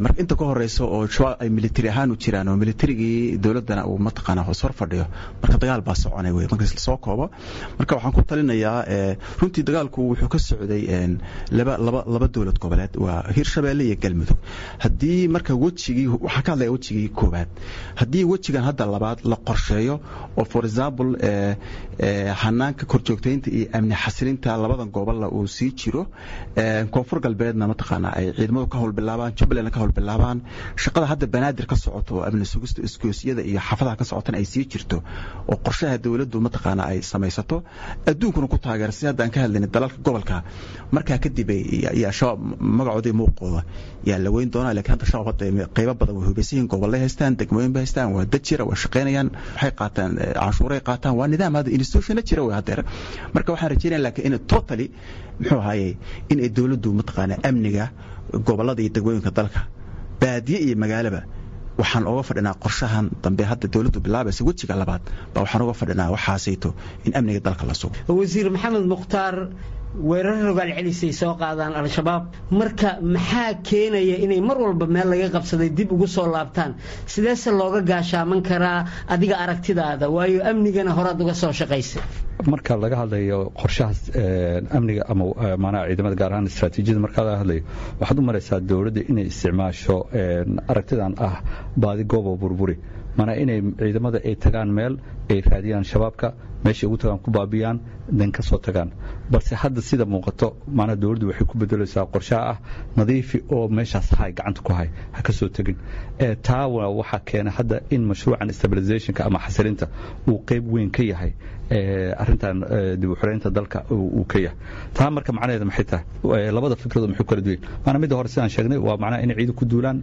Marka inta ka horeysa oo Shabaab ay military ahaan u jiraan oo militarigii dowladdana uu mataqaanaa hoos hor fadhiyo, marka dagaal baa soconay wey. Marka lasoo koobo, marka waxaan ku talinayaa, runtii dagaalku wuxuu ka socday laba laba laba dowlad goboleed, waa Hirshabeelle iyo Galmudug. Haddii marka wejigii, waxaan ka hadlaya wejigii koowaad, haddii wejigan hadda labaad la qorsheeyo oo for example hanaanka korjoogtaynta iyo amni xasilinta labadan gobolla uu sii jiro, Koonfur Galbeedna mataqaanaa ay ciidamadu ka howlbilaabaan, Jubbaland ka howlbilaabaan, shaqada hadda Banaadir ka socoto oo amni sugista isgoosyada iyo xaafadaha ka socotana ay sii jirto, oo qorshaha dowladdu mataqaanaa ay samaysato, adduunkuna ku taageera si hadda aan ka hadlaynay dalalka gobolka, markaa kadib iyo Shabaab magacooda iyo muuqooda yaa la weyn doonaa. Laakiin hadda Shabaab hadda qaybo badan way hubaysan yihiin, gobolay haystaan, degmooyin bay haystaan, waa dad jira, waa shaqaynayaan, waxay qaataan canshuuray qaataan, waa nidaam hadda institutionna jira way haddeer. Marka waxaan rajeynaya laakiin in totally muxuu ahaayey in ay dowladdu mataqaanaa amniga gobollada iyo degmooyinka dalka, baadiye iyo magaalaba, waxaan oga fadhinaa qorshahan dambe hadda dowladdu bilaabaysa wejiga labaad baa waxaan oga fadhinaa waxaasayto in amniga dalka la sugo. Wasiir Maxamed Mukhtaar, Weerar rogaal celisay soo qaadaan Al-Shabaab. Marka maxaa keenaya inay mar walba meel laga qabsaday dib ugu soo laabtaan? Sideese looga gaashaaman karaa adiga aragtidaada, waayo amnigana horaad uga soo shaqaysay? Marka laga hadlayo qorshahaas amniga ama maanaha ciidamada, gaar ahaan istaraatiijiyada, marka laga hadlayo, waxaad u maraysaa dowladda inay isticmaasho aragtidan ah baadi goobo burburi, maanaa inay ciidamada ay tagaan meel ay raadiyaan shabaabka, meeshay ugu tagaan ku baabiyaan, dan ka soo tagaan. Balse hadda sida muuqato, maanaa dowladdu waxay ku bedelaysaa qorshaha ah nadiifi oo meeshaas hay, gacanta ku hay, ha ka soo tegin. Taa waxaa keena hadda in mashruucan stabilizationka ama xasilinta uu qayb weyn ka yahay arrintan dib u xoreynta dalka uu ka yahay. Taa marka macnaheeda maxay tahay? Labada fikradood maxay kala duwan? Maanaa midda hore sidaan sheegnay waa macnaha inay ciidan ku duulaan,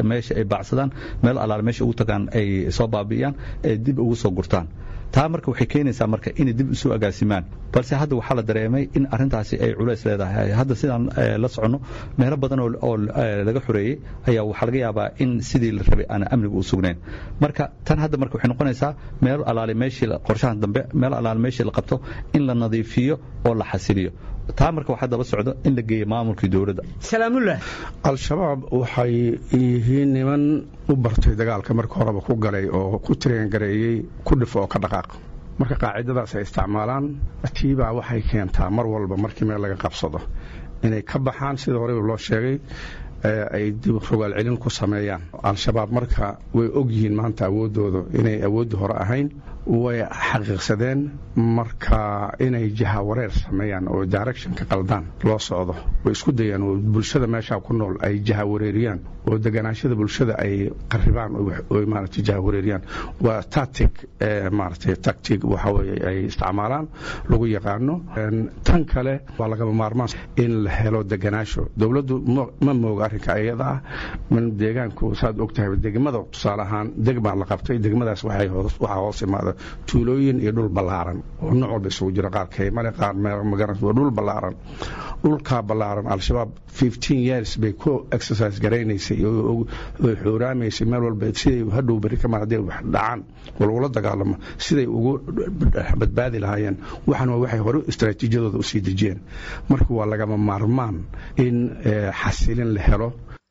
meesha ay baacsadaan, meel alaale meesha ugu tagaan ay soo baabi'iyaan, ay dib ugu soo gurtaan. Taa marka waxay keenaysaa marka inay dib isu agaasimaan. Balse hadda waxaa la dareemay in arrintaasi ay culays leedahay. Hadda sidaan la soconno, meelo badan oo laga xoreeyey ayaa waxaa laga yaabaa in sidii la rabay aan amnigu u sugnayn. Marka tan hadda marka waxay noqonaysaa meel alaale meeshii qorshahan dambe, meel alaale meeshii la qabto in la nadiifiyo oo la xasiliyo. Taa marka waxaa daba socdo in la geeyo maamulkii dowladda. Salaamullah. Al-Shabaab waxay yihiin niman u bartay dagaalka, marka horeba ku galay oo ku tireengareeyey ku dhif oo ka dhaqaaq. Marka qaacidadaas ay isticmaalaan tiibaa waxay keentaa mar walba markii meel laga qabsado inay ka baxaan, sida horeba loo sheegay, ay dib rogaal celin ku sameeyaan Al-Shabaab. Marka way og yihiin maanta awooddooda inay awoodda hore ahayn, way xaqiiqsadeen. Marka inay jahawareer sameeyaan oo directionka qaldaan loo socdo way isku dayaan, oo bulshada meeshaa ku nool ay jahawareeriyaan oo deganaashada bulshada ay qarribaan oo maaragtay jahawareeriyaan. Waa tactic, maaragtay tactic waxa weeye ay isticmaalaan lagu yaqaano. Tan kale waa lagama maarmaan in la helo deganaasho. Dowladdu ma mooga arrinka iyada ah. Man deegaanku saad og tahay, degmada tusaale ahaan degmaa la qabtay, degmadaas waxay waxaa hoos imaada tuulooyin iyo dhul ballaaran oo nooc walba isugu jira, qaar kaymale, qaar magaran, waa dhul ballaaran. Dhulkaa ballaaran Al-Shabaab fifteen years bay ku exercise garaynaysay oo xuuraamaysay meel walba siday hadhow berri kamaan hadday wax dhacaan oo lagula dagaalamo siday ugu badbaadi lahaayeen. Waxan waa waxay hore istaraatiijiyadooda usii dejiyeen. Marka waa lagama maarmaan in xasilin la helo.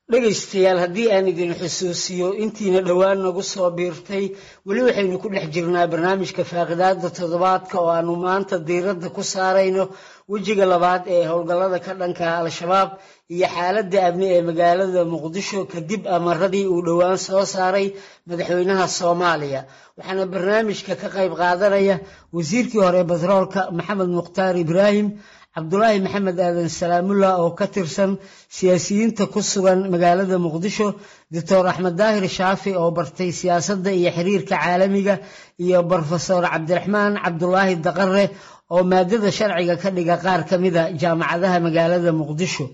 Dhegaystayaal, haddii aan idin xusuusiyo intiina dhowaan nagu soo biirtay, weli waxaynu ku dhex jirnaa barnaamijka faaqidaada toddobaadka oo aanu maanta diiradda ku saarayno wejiga labaad ee howlgallada ka dhanka Al-Shabaab iyo xaaladda amni ee magaalada Muqdisho kadib amaradii uu dhowaan soo saaray madaxweynaha Soomaaliya. Waxaana barnaamijka ka qayb qaadanaya wasiirkii hore batroolka Maxamed Mukhtaar Ibraahim, Cabdulaahi Maxamed Aadan Salaamullah oo ka tirsan siyaasiyiinta ku sugan magaalada Muqdisho, Doctor Axmed Daahir Shaafi oo bartay siyaasadda iyo xiriirka caalamiga, iyo Brofesor Cabdiraxmaan Cabdulaahi Daqare oo maadada sharciga ka dhiga qaar ka mida jaamacadaha magaalada Muqdisho.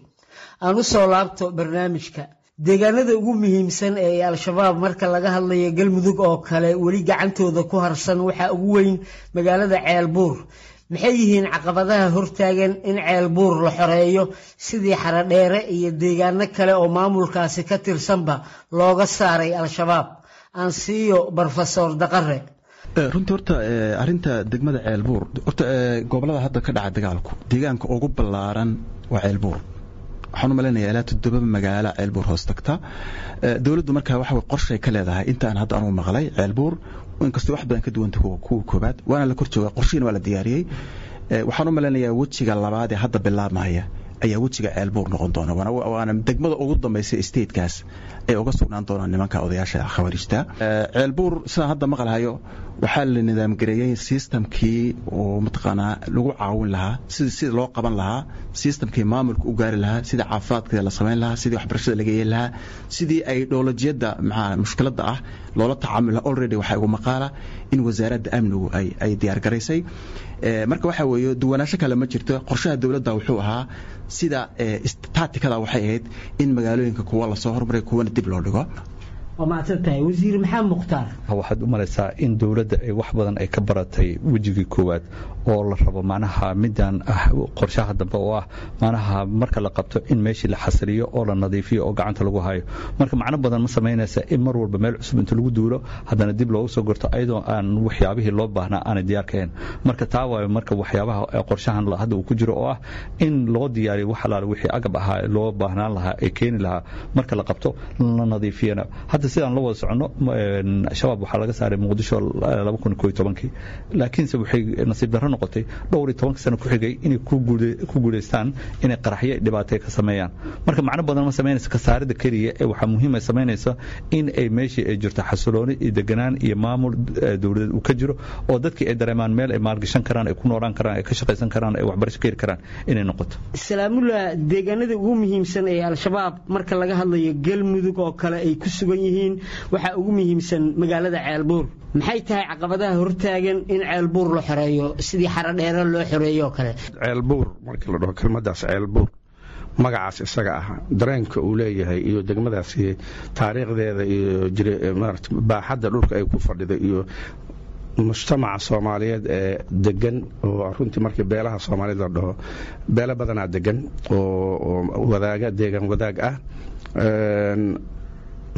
Aan u soo laabto barnaamijka. Deegaanada ugu muhiimsan ee Al-Shabaab marka laga hadlayo Galmudug oo kale weli gacantooda ku harsan waxaa ugu weyn magaalada Ceelbuur. Maxay yihiin caqabadaha hortaagan in Ceelbuur la xoreeyo sidii Xaradheere iyo deegaano kale oo maamulkaasi ka tirsanba looga saaray Al-Shabaab? Aan siiyo Brofesor Daqare. Runtii horta arrinta degmada Ceelbuur, horta gobolada hadda ka dhaca dagaalku deegaanka ugu ballaaran waa Ceelbuur. Waxaan u malaynayaa ilaa toddoba magaalo Ceelbuur hoos tagta. Dowladdu markaa waxa qorshay ka leedahay intaan hadda anugu maqlay Ceelbuur, inkastoo wax badan ka duwanta kuwa koobaad, waana la kor joogaa, qorshihiina waa la diyaariyey. Waxaan u malaynayaa wejiga labaad ee hadda bilaabmaya ayaa wejiga Ceelbuur noqon doona, waana degmada ugu dambaysa statekaas ay uga sugnaan doonaan nimanka odayaasha khawaarijta. Ceelbuur sidaan hadda maqalhayo waxaa la nidaamgareeyey systemkii oo mataqaanaa lagu caawin lahaa, sidii sida loo qaban lahaa, systemkii maamulka u gaari lahaa, sidii caafimaadka la samayn lahaa, sidii waxbarashada laga yeeli lahaa, sidii ay dhoolajiyada maxaa mushkiladda ah loola tacaamuli lahaa. Already waxaa igu maqaala in wasaaradda amnigu ay ay diyaar garaysay. Marka waxaa weeye duwanaansho kale ma jirto. Qorshaha dowladda wuxuu ahaa sida taatikada waxay ahayd in magaalooyinka kuwa lasoo hormaray kuwana dib loo dhigo. Waa mahadsan tahay wasiir Maxamed Mukhtaar. Waxaad u malaysaa in dowladda ay wax badan ay ka baratay wejigii koowaad oo la rabo macnaha midaan ah qorshaha dambe oo ah macnaha marka la qabto in meeshii la xasiliyo oo la nadiifiyo oo gacanta lagu hayo. Marka macno badan ma samaynaysa in mar walba meel cusub inta lagu duulo haddana dib loogu soo gorto ayadoo aan waxyaabihii loo baahnaa aanay diyaar ka ahayn. Marka taa waayo marka waxyaabaha qorshahan hadda uu ku jiro oo ah in loo diyaariyo wax alaale wixii agab ahaa loo baahnaan lahaa ee keeni lahaa marka la qabto la nadiifiyana. Hadda sidaan la wada soconno Shabaab waxaa laga saaray Muqdisho laba kun iyo tobankii, laakiinse waxay nasiib darro noqotay dhowr iyo tobanka sano ku xigay inay ku guuleystaan inay qaraxyo dhibaato ka sameeyaan. Marka macno badan ma samaynaysa ka saarida keliya ee waxaa muhiim ay samaynaysa in ay meeshii ay jirto xasilooni iyo deganaan iyo maamul dowladeed uu ka jiro oo dadkii ay dareemaan meel ay maalgashan karaan, ay ku noolaan karaan, ay ka shaqaysan karaan, ay waxbarasho ka heli karaan inay noqoto. Salaamullah, deegaanada ugu muhiimsan ee Al-Shabaab marka laga hadlayo Galmudug oo kale ay ku sugan yihiin waxaa ugu muhiimsan magaalada Ceelbuur. Maxay tahay caqabadaha hortaagan in Ceelbuur la xoreeyo sidii Xaradheere loo xoreeyo oo kale? Ceelbuur markii la dhaho kelmadaas Ceelbuur magacaas isaga ah dareenka uu leeyahay iyo degmadaasi taariikhdeeda iyo maarata baaxadda dhulka ay ku fadhido iyo mujtamaca Soomaaliyeed ee degan oo runtii markii beelaha Soomaaliyeed la dhaho beelo badanaa degan oo wadaaga deegaan wadaag ah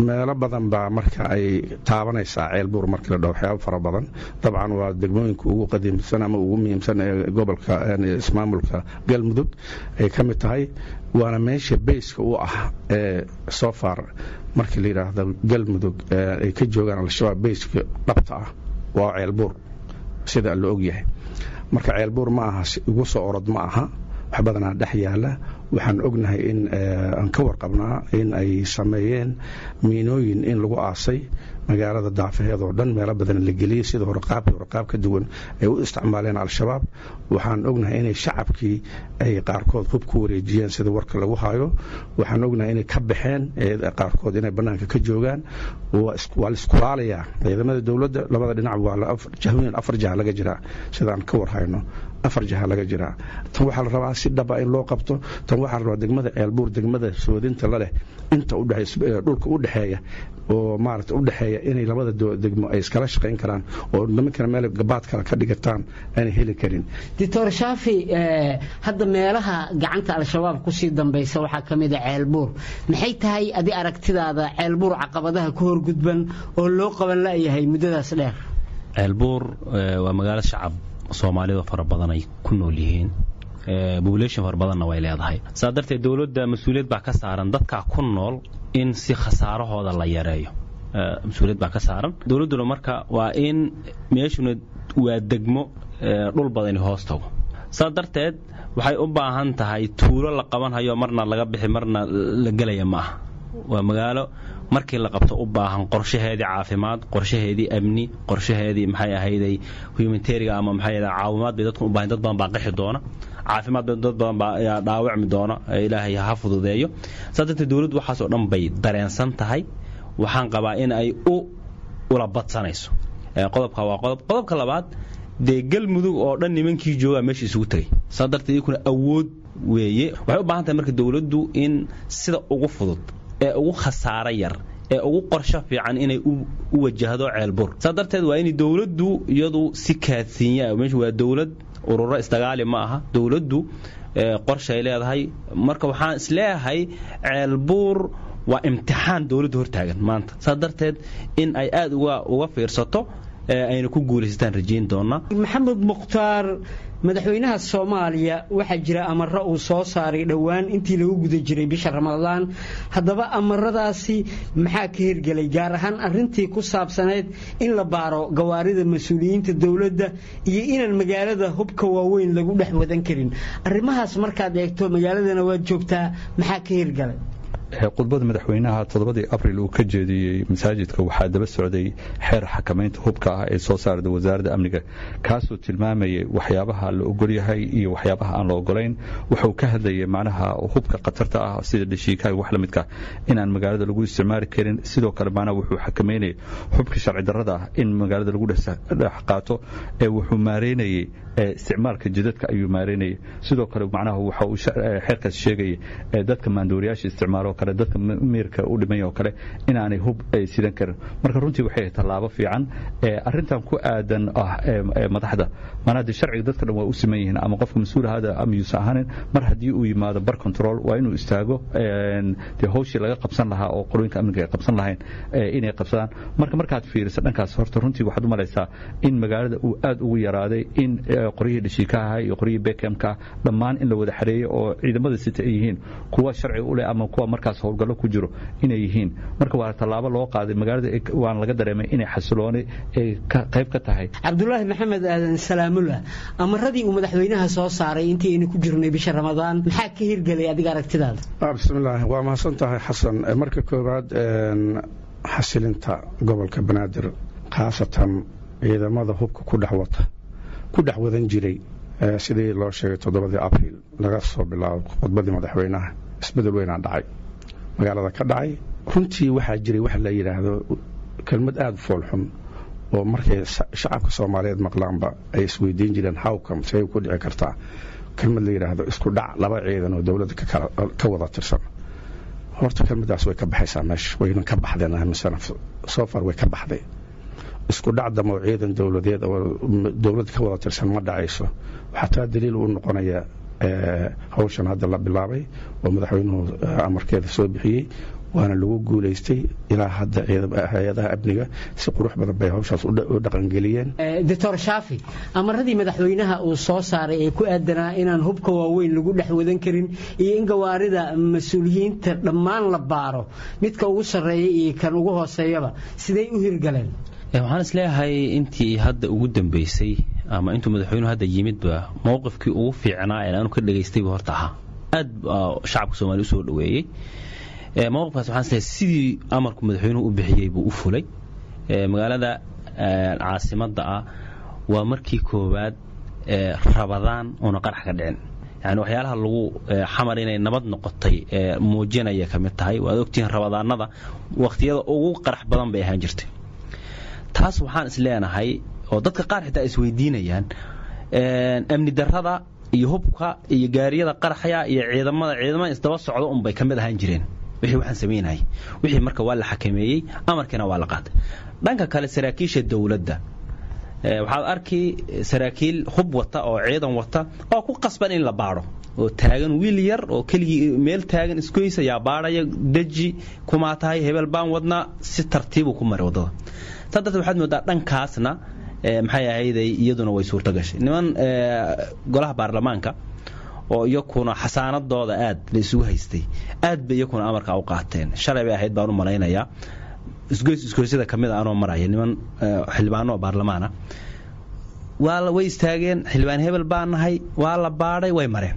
meelo badan baa marka ay taabanaysaa Ceelbuur markii la dhaho waxyaabo fara badan. Dabcan waa degmooyinka ugu qadiimsan ama ugu muhiimsan ee gobolka ismaamulka Galmudug ay ka mid tahay, waana meesha bayska u ah ee so far markii la yidhaahdo Galmudug ay ka joogaan Al-Shabaab bayska dhabta ah waa Ceelbuur sida la og yahay. Marka Ceelbuur ma aha igu soo orod ma aha, wax badanaa dhex yaala. Waxaan ognahay in aan ka warqabnaa in ay sameeyeen miinooyin in lagu aasay magaalada daafaheed oo dhan, meelo badan la geliyey sida hore qaabkii hore qaab ka duwan ay u isticmaaleen Al-Shabaab. Waxaan ognahay inay shacabkii ay qaarkood hub ku wareejiyeen sida warka lagu hayo. Waxaan ognahay inay ka baxeen qaarkood inay bannaanka ka joogaan. Waa la iskulaalayaa ciidamada dowladda labada dhinac, waa jahooyin afar jaha laga jiraa sidaan ka war hayno, afar jaha laga jiraa. Tan waxaa la rabaa si dhaba in loo qabto. Tan waxaa la rabaa degmada Ceelbuur degmada soodinta la leh inta dhulka u dhexeeya oo maarata u dhexeeya inay labada degmo ay iskala shaqayn karaan oo nimankana meel gabaad kale ka dhigataan aanay heli karin. Doctor Shaafi, hadda meelaha gacanta Al-Shabaab kusii dambaysa waxaa ka mid ah Ceelbuur. Maxay tahay adi aragtidaada Ceelbuur caqabadaha ku horgudban oo loo qaban la'yahay muddadaas dheer? Ceelbuur waa magaalo shacab Soomaalida fara badan ay ku nool yihiin, population fara badanna way leedahay. Saa darteed dowladda mas-uuliyad baa ka saaran dadka ku nool in si khasaarahooda la yareeyo, mas-uuliyad baa ka saaran dowladduna. Marka waa in meeshuna waa degmo dhul badani hoos tago, saa darteed waxay u baahan tahay tuulo la qabanhayo marna laga bixi marna la gelaya ma aha. Waa magaalo markii la qabto u baahan qorshaheedii caafimaad, qorshaheedii amni, qorshaheedii maxay ahayday humanitariga ama maxay ahayd caawimaad bay dadku u baahan. Dad badan baa qixi doona, caafimaad bay dad badan baa dhaawacmi doona, ilaahay ha fududeeyo. Saa darteed dowladdu waxaas oo dhan bay dareensan tahay. Waxaan qabaa in ay u ula badsanayso. Qodobka waa qodob. Qodobka labaad, dee Galmudug oo dhan nimankii joogaa meesha isugu tegay, saa darteed iyakuna awood weeye. Waxay u baahan tahay marka dowladdu in sida ugu fudud ee ugu khasaaro yar ee ugu qorsho fiican inay u wajahdo Ceelbuur. Saa darteed waa in dowladdu iyadu si kaadsiinya, meeshu waa dowlad ururo isdagaali ma aha, dowladdu qorshay leedahay. Marka waxaan isleeyahay Ceelbuur waa imtixaan dowladdu hortaagan maanta, saa darteed in ay aad uga uga fiirsato ayna ku guulaysataan rajayn doonaa. Maxamed Mukhtaar, madaxweynaha Soomaaliya waxaa jira amaro uu soo saaray dhowaan intii lagu guda jiray bisha Ramadaan. Haddaba amaradaasi maxaa ka hirgelay, gaar ahaan arrintii ku saabsanayd in la baaro gawaarida mas-uuliyiinta dowladda iyo inaan magaalada hubka waaweyn lagu dhex wadan karin? Arrimahaas markaad eegto magaaladana waad joogtaa, maxaa ka hirgalay? Khudbada madaxweynaha toddobadii abril uu ka jeediyey masaajidka waxaa daba socday xeer xakamaynta hubka ah ee soo saarda wasaaradda amniga, kaasoo tilmaamayay waxyaabaha la ogolyahay iyo waxyaabaha aan la ogolayn. Wuxuu ka hadlayay macnaha hubka khatarta ah sida dhashiikaha iyo wax la midka inaan magaalada lagu isticmaali karin. Sidoo kale macnaha wuxuu xakameynayay hubka sharci darrada ah in magaalada lagu dhex qaato. Ee wuxuu maareynayay isticmaalka jidadka ayuu maareynayay. Sidoo kale macnaha waxa uu xeerkaas sheegayay dadka maandooriyaasha isticmaalo kale, dadka miirka u dhimay oo kale, inaanay hub ay sidan karin. Marka runtii waxay tallaabo fiican arrintan ku aadan ah madaxda. Maanaa dee sharciga dadka dhan waa u siman yihiin, ama qofka mas-uul ahaada ama yuusan ahaanin, mar haddii uu yimaado bar control waa inuu istaago, dee hawshii laga qabsan lahaa oo qorooyinka amniga ay qabsan lahayn inay qabsadaan. Marka markaad fiiriso dhankaas, horta runtii waxaad u malaysaa in magaalada uu aad ugu yaraaday in qoryihii dhashiikaha iyo qoryihii bekamka dhammaan in la wada xareeyo, oo ciidamada sita ay yihiin kuwa sharci u leh ama kuwa markaas howlgallo ku jiro inay yihiin. Marka waa tallaabo loo qaaday magaalada, waana laga dareemay inay xasilooni ay qayb ka tahay. Cabdulaahi Maxamed Aadan Salaamullah, amaradii uu madaxweynaha soo saaray intii aynu ku jirnay bisha Ramadaan maxaa ka hirgelay adiga aragtidaada? Bismillaah, waa mahadsan tahay Xasan. Marka koowaad, xasilinta gobolka Banaadir, khaasatan ciidamada hubka ku dhex wata ku dhex wadan jiray, sidii loo sheegay toddobadii Abriil laga soo bilaabo khudbadii madaxweynaha isbedel weynaa dhacay magaalada ka dhacay. Runtii waxaa jiray waxa la yidhaahdo kelmad aada u foolxun oo markay shacabka Soomaaliyeed maqlaanba ay isweydiin jireen, howcom say ku dhici kartaa kelmad la yidhaahdo isku dhac laba ciidan oo dowladda ka wada tirsan? Horta kelmaddaas way ka baxaysaa meesha, wayna ka baxdeen aaminsana. So far way ka baxday. Isku dhac damo ciidan dowladeed oo dowladda ka wada tirsan ma dhacayso. Waxaa taa daliil u noqonaya hawshan hadda la bilaabay oo madaxweynuhu amarkeeda soo bixiyey, waana lagu guulaystay. Ilaa hadda hay-adaha amniga si qurux badan bay hawshaas u dhaqangeliyeen. Doctor Shaafi, amaradii madaxweynaha uu soo saaray ee ku aadanaa inaan hubka waaweyn lagu dhex wadan karin iyo in gawaarida mas-uuliyiinta dhammaan la baaro, midka ugu sarreeya iyo kan ugu hooseeyaba, siday u hirgaleen? Waxaan isleeyahay intii hadda ugu dambeysay ama intuu madaxweynuhu hadda yimidba, mowqifkii ugu fiicnaa ee aanu ka dhagaystayba horta ahaa, aad shacabka Soomaaliya usoo dhaweeyey mowqifkaas. Waxaan isleeyahay sidii amarku madaxweynuhu u bixiyey buu u fulay. Magaalada caasimadda ah waa markii koowaad Rabadaan oona qarax ka dhicin. Yani waxyaalaha lagu Xamar inay nabad noqotay muujinaya ka mid tahay. Waad ogtihiin, Rabadaanada waqtiyada ugu qarax badan bay ahaan jirtay. Taas waxaan is leenahay oo dadka qaar xitaa isweydiinayaan, amni darrada iyo hubka iyo gaariyada qaraxya iyo ciidamada ciidamada isdaba socda unbay ka mid ahaan jireen wixii waxaan samaynayay wixii. Marka waa la xakameeyey, amarkiina waa la qaatay. Dhanka kale, saraakiisha dowladda waxaad arki saraakiil hub wata oo ciidan wata oo ku qasban in la baadho, oo taagan wiil yar oo keligii meel taagan isgoysa yaa baadhaya, deji kumaa tahay, hebel baan wadnaa, si tartiibu ku maray waddada. Saa darteed waxaad moodaa dhankaasna maxay ahayday iyaduna way suurto gashay. Niman golaha baarlamaanka oo iyakuna xasaanadooda aad la isugu haystay, aad bay iyakuna amarka u qaateen. Shalay bay ahayd baan u malaynayaa, isgoys isgoysyada ka mid a anoo maraya, niman xildhibaano oo baarlamaana waa way istaageen, xildhibaan hebel baan nahay, waa la baadhay, way mareen.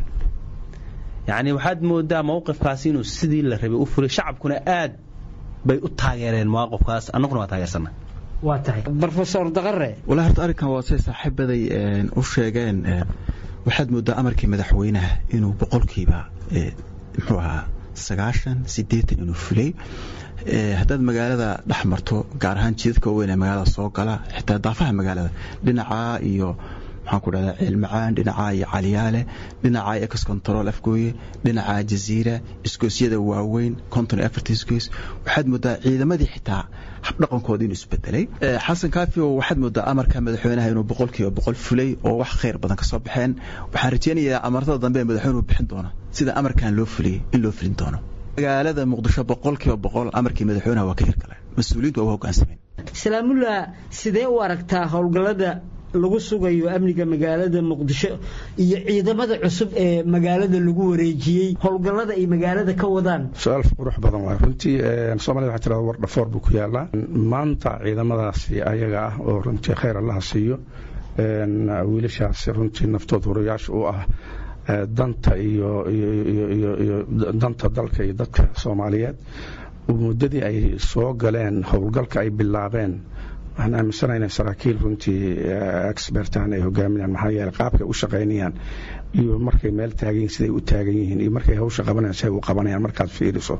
Yacni waxaad moodaa mowqifkaasi inuu sidii la rabay u fulay, shacabkuna aad bay u taageereen mowqifkaas, annaguna waa taageersanay. Waa tahay, Brofesor Daqare. Walahi horta arrinkan waa say saaxiibaday u sheegeen. Waxaad moodaa amarkii madaxweynaha inuu boqolkiiba muxuu ahaa sagaashan siddeetan inuu fulay. Haddaad magaalada dhex marto, gaar ahaan jidadka waaweyn ee magaalada soo gala, xitaa daafaha magaalada dhinacaa iyo maxaan ku dhahdaa Ceelmacaan dhinacaa iyo Caliyaale dhinacaa iyo Ex Control Afgooye dhinacaa Jaziira, isgoosyada waaweyn konton iyo afarta isgoys, waxaad moodaa ciidamadii xitaa habdhaqankooda inuu isbedelay. Xasan Kaafi, waxaad moodaa amarka madaxweynaha inuu boqolkiiba boqol fulay oo wax khayr badan ka soo baxeen. Waxaan rajeynayaa amartada dambe ee madaxweynuhu bixin doono sida amarkan loo fuliyey in loo fulin doono. Magaalada Muqdisho boqolkiiba boqol amarkii madaxweynaha waa ka hirgaleen, mas-uuliyiintu waa u hoggaansameen. Salaamullah, sidee u aragtaa howlgallada lagu sugayo amniga magaalada Muqdisho iyo ciidamada cusub ee magaalada lagu wareejiyey, howlgallada ay magaalada ka wadaan? Su-aal qurux badan waay runtii. Soomaalida waxay tirahda war dhafoor buu ku yaalaa. Maanta ciidamadaasi ayaga ah oo runtii khayr Allaha siiyo, wiilashaasi runtii naftood hurayaasha u ah danta iyo iyo iyo danta dalka iyo dadka Soomaaliyeed, muddadii ay soo galeen howlgalka ay bilaabeen, waxaan aaminsanahay inay saraakiil runtii expertan ay hogaaminayaan. Maxaa yeelay qaabkay u shaqaynayaan iyo markay meel taagan yihiin siday u taagan yihiin iyo markay hawsha qabanayaan siday u qabanayaan markaad fiiriso,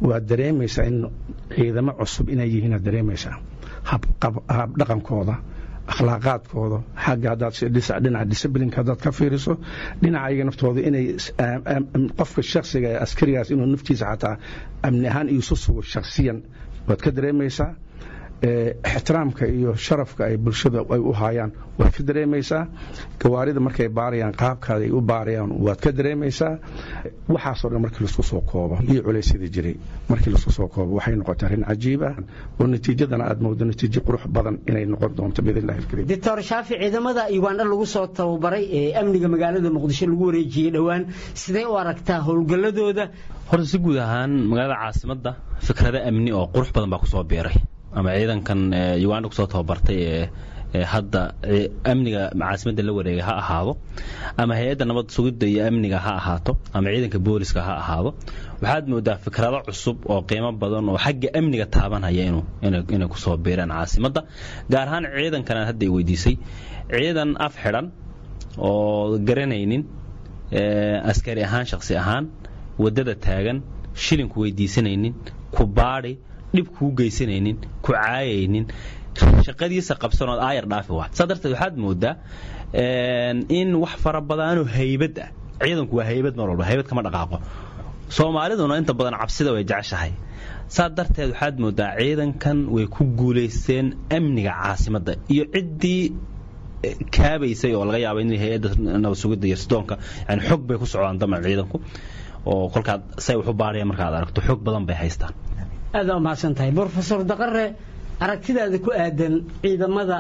waad dareemaysaa in ciidamo cusub inay yihiin. Aad dareemaysaa hab dhaqankooda, Akhlaaqaadkooda xagga haddaad dhinaca disciplineka haddaad ka fiiriso, dhinaca ayaga naftooda inay qofka shakhsiga ee askarigaas inuu naftiisa xataa amni ahaan isu sugo shakhsiyan waad ka dareemaysaa. Ixtiraamka iyo sharafka ay bulshada ay u haayaan waad ka dareemaysaa. Gawaarida markay baarayaan, qaabkaada ay u baarayaan waad ka dareemaysaa. Waxaasoo dhan markii laisku soo koobo iyo culaysyada jiray markii laisku soo koobo, waxay noqotay arrin cajiib ah oo natiijadana aad moodo natiijo qurux badan inay noqon doonto biidn illahi alkariim. Doctor Shaafi, ciidamada Uganda lagu soo tababaray ee amniga magaalada Muqdisho lagu wareejiyey dhowaan, sidee u aragtaa howlgalladooda? Horta si guud ahaan magaalada caasimadda fikrado amni oo qurux badan baa kusoo biiray, ama ciidankan Uganda kusoo tababartay ee hadda amniga caasimadda la wareegay ha ahaado, ama hay-adda nabad sugidda iyo amniga ha ahaato, ama ciidanka booliska ha ahaado. Waxaad moodaa fikrado cusub oo qiimo badan oo xagga amniga taabanhaya inuu inay kusoo biiraan caasimadda, gaar ahaan ciidankan aad hadda i weydiisay. Ciidan af xidhan oo garanaynin askari ahaan, shakhsi ahaan waddada taagan, shilinku weydiisanaynin, ku baadhi, dhib kuu geysanaynin, ku caayaynin, shaqadiisa qabsanood aayar dhaafi waa. Saa darteed waxaad moodaa in wax fara badanoo haybad ah. Ciidanku waa haybad, mar walba haybad kama dhaqaaqo. Soomaaliduna inta badan cabsida way jeceshahay. Saa darteed waxaad moodaa ciidankan way ku guulaysteen amniga caasimadda iyo ciddii kaabaysay oo laga yaaba in hay-adda nabad sugidda iyo sidoonka, yani xog bay ku socdaan daman ciidanku oo kolkaad say wax u baarayaan markaad aragto xog badan bay haystaan. Aad aa umahadsan tahay, Brofesor Daqare. Aragtidaada ku aadan ciidamada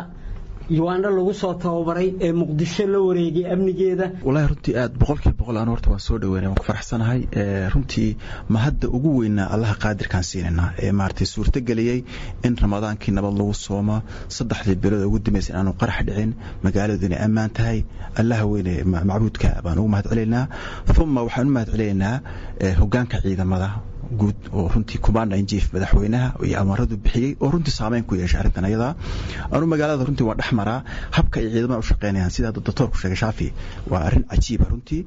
Uganda lagu soo tababaray ee Muqdisho la wareegay amnigeeda? Wallaahi runtii aad boqolkiiba boqol aan horta waan soo dhaweynay, waan ku faraxsanahay runtii. Ma hadda ugu weynaa Allaha qaadirkaan siinaynaa ee maaragtay suurtageliyey in Ramadaankii nabad lagu soomo, saddexdii bilood ugu dambeysay inaanu qarax dhicin, magaaladu inay ammaan tahay. Allaha weyne macbuudka baan ugu mahad celinaynaa. Uma waxaan u mahad celinaynaa hoggaanka ciidamada guud oo runtii commander in chief madaxweynaha iyo amaradu bixiyey oo runtii saameyn ku yeeshay arrintan ayada. Anu magaalada runtii waa dhex maraa, habka ay ciidamada u shaqeynayaan, sida hadda doctorku sheegay Shaafi, waa arrin cajiiba runtii.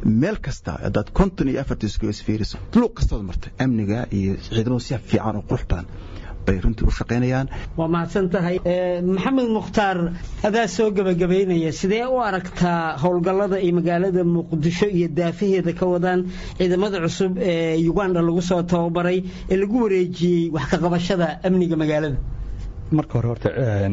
Meel kasta haddaad konton iyo afartii isku fiiriso, luuq kastood martay, amniga iyo ciidamadu si fiican oo qurux badan bay runtii u shaqeynayaan. Waa mahadsan tahay, Maxamed Mukhtaar. Adaa soo gebagabaynaya, sidee u aragtaa howlgallada ay magaalada Muqdisho iyo daafaheeda ka wadaan ciidamada cusub ee Uganda lagu soo tababaray ee lagu wareejiyey wax ka qabashada amniga magaalada? Marka hore horta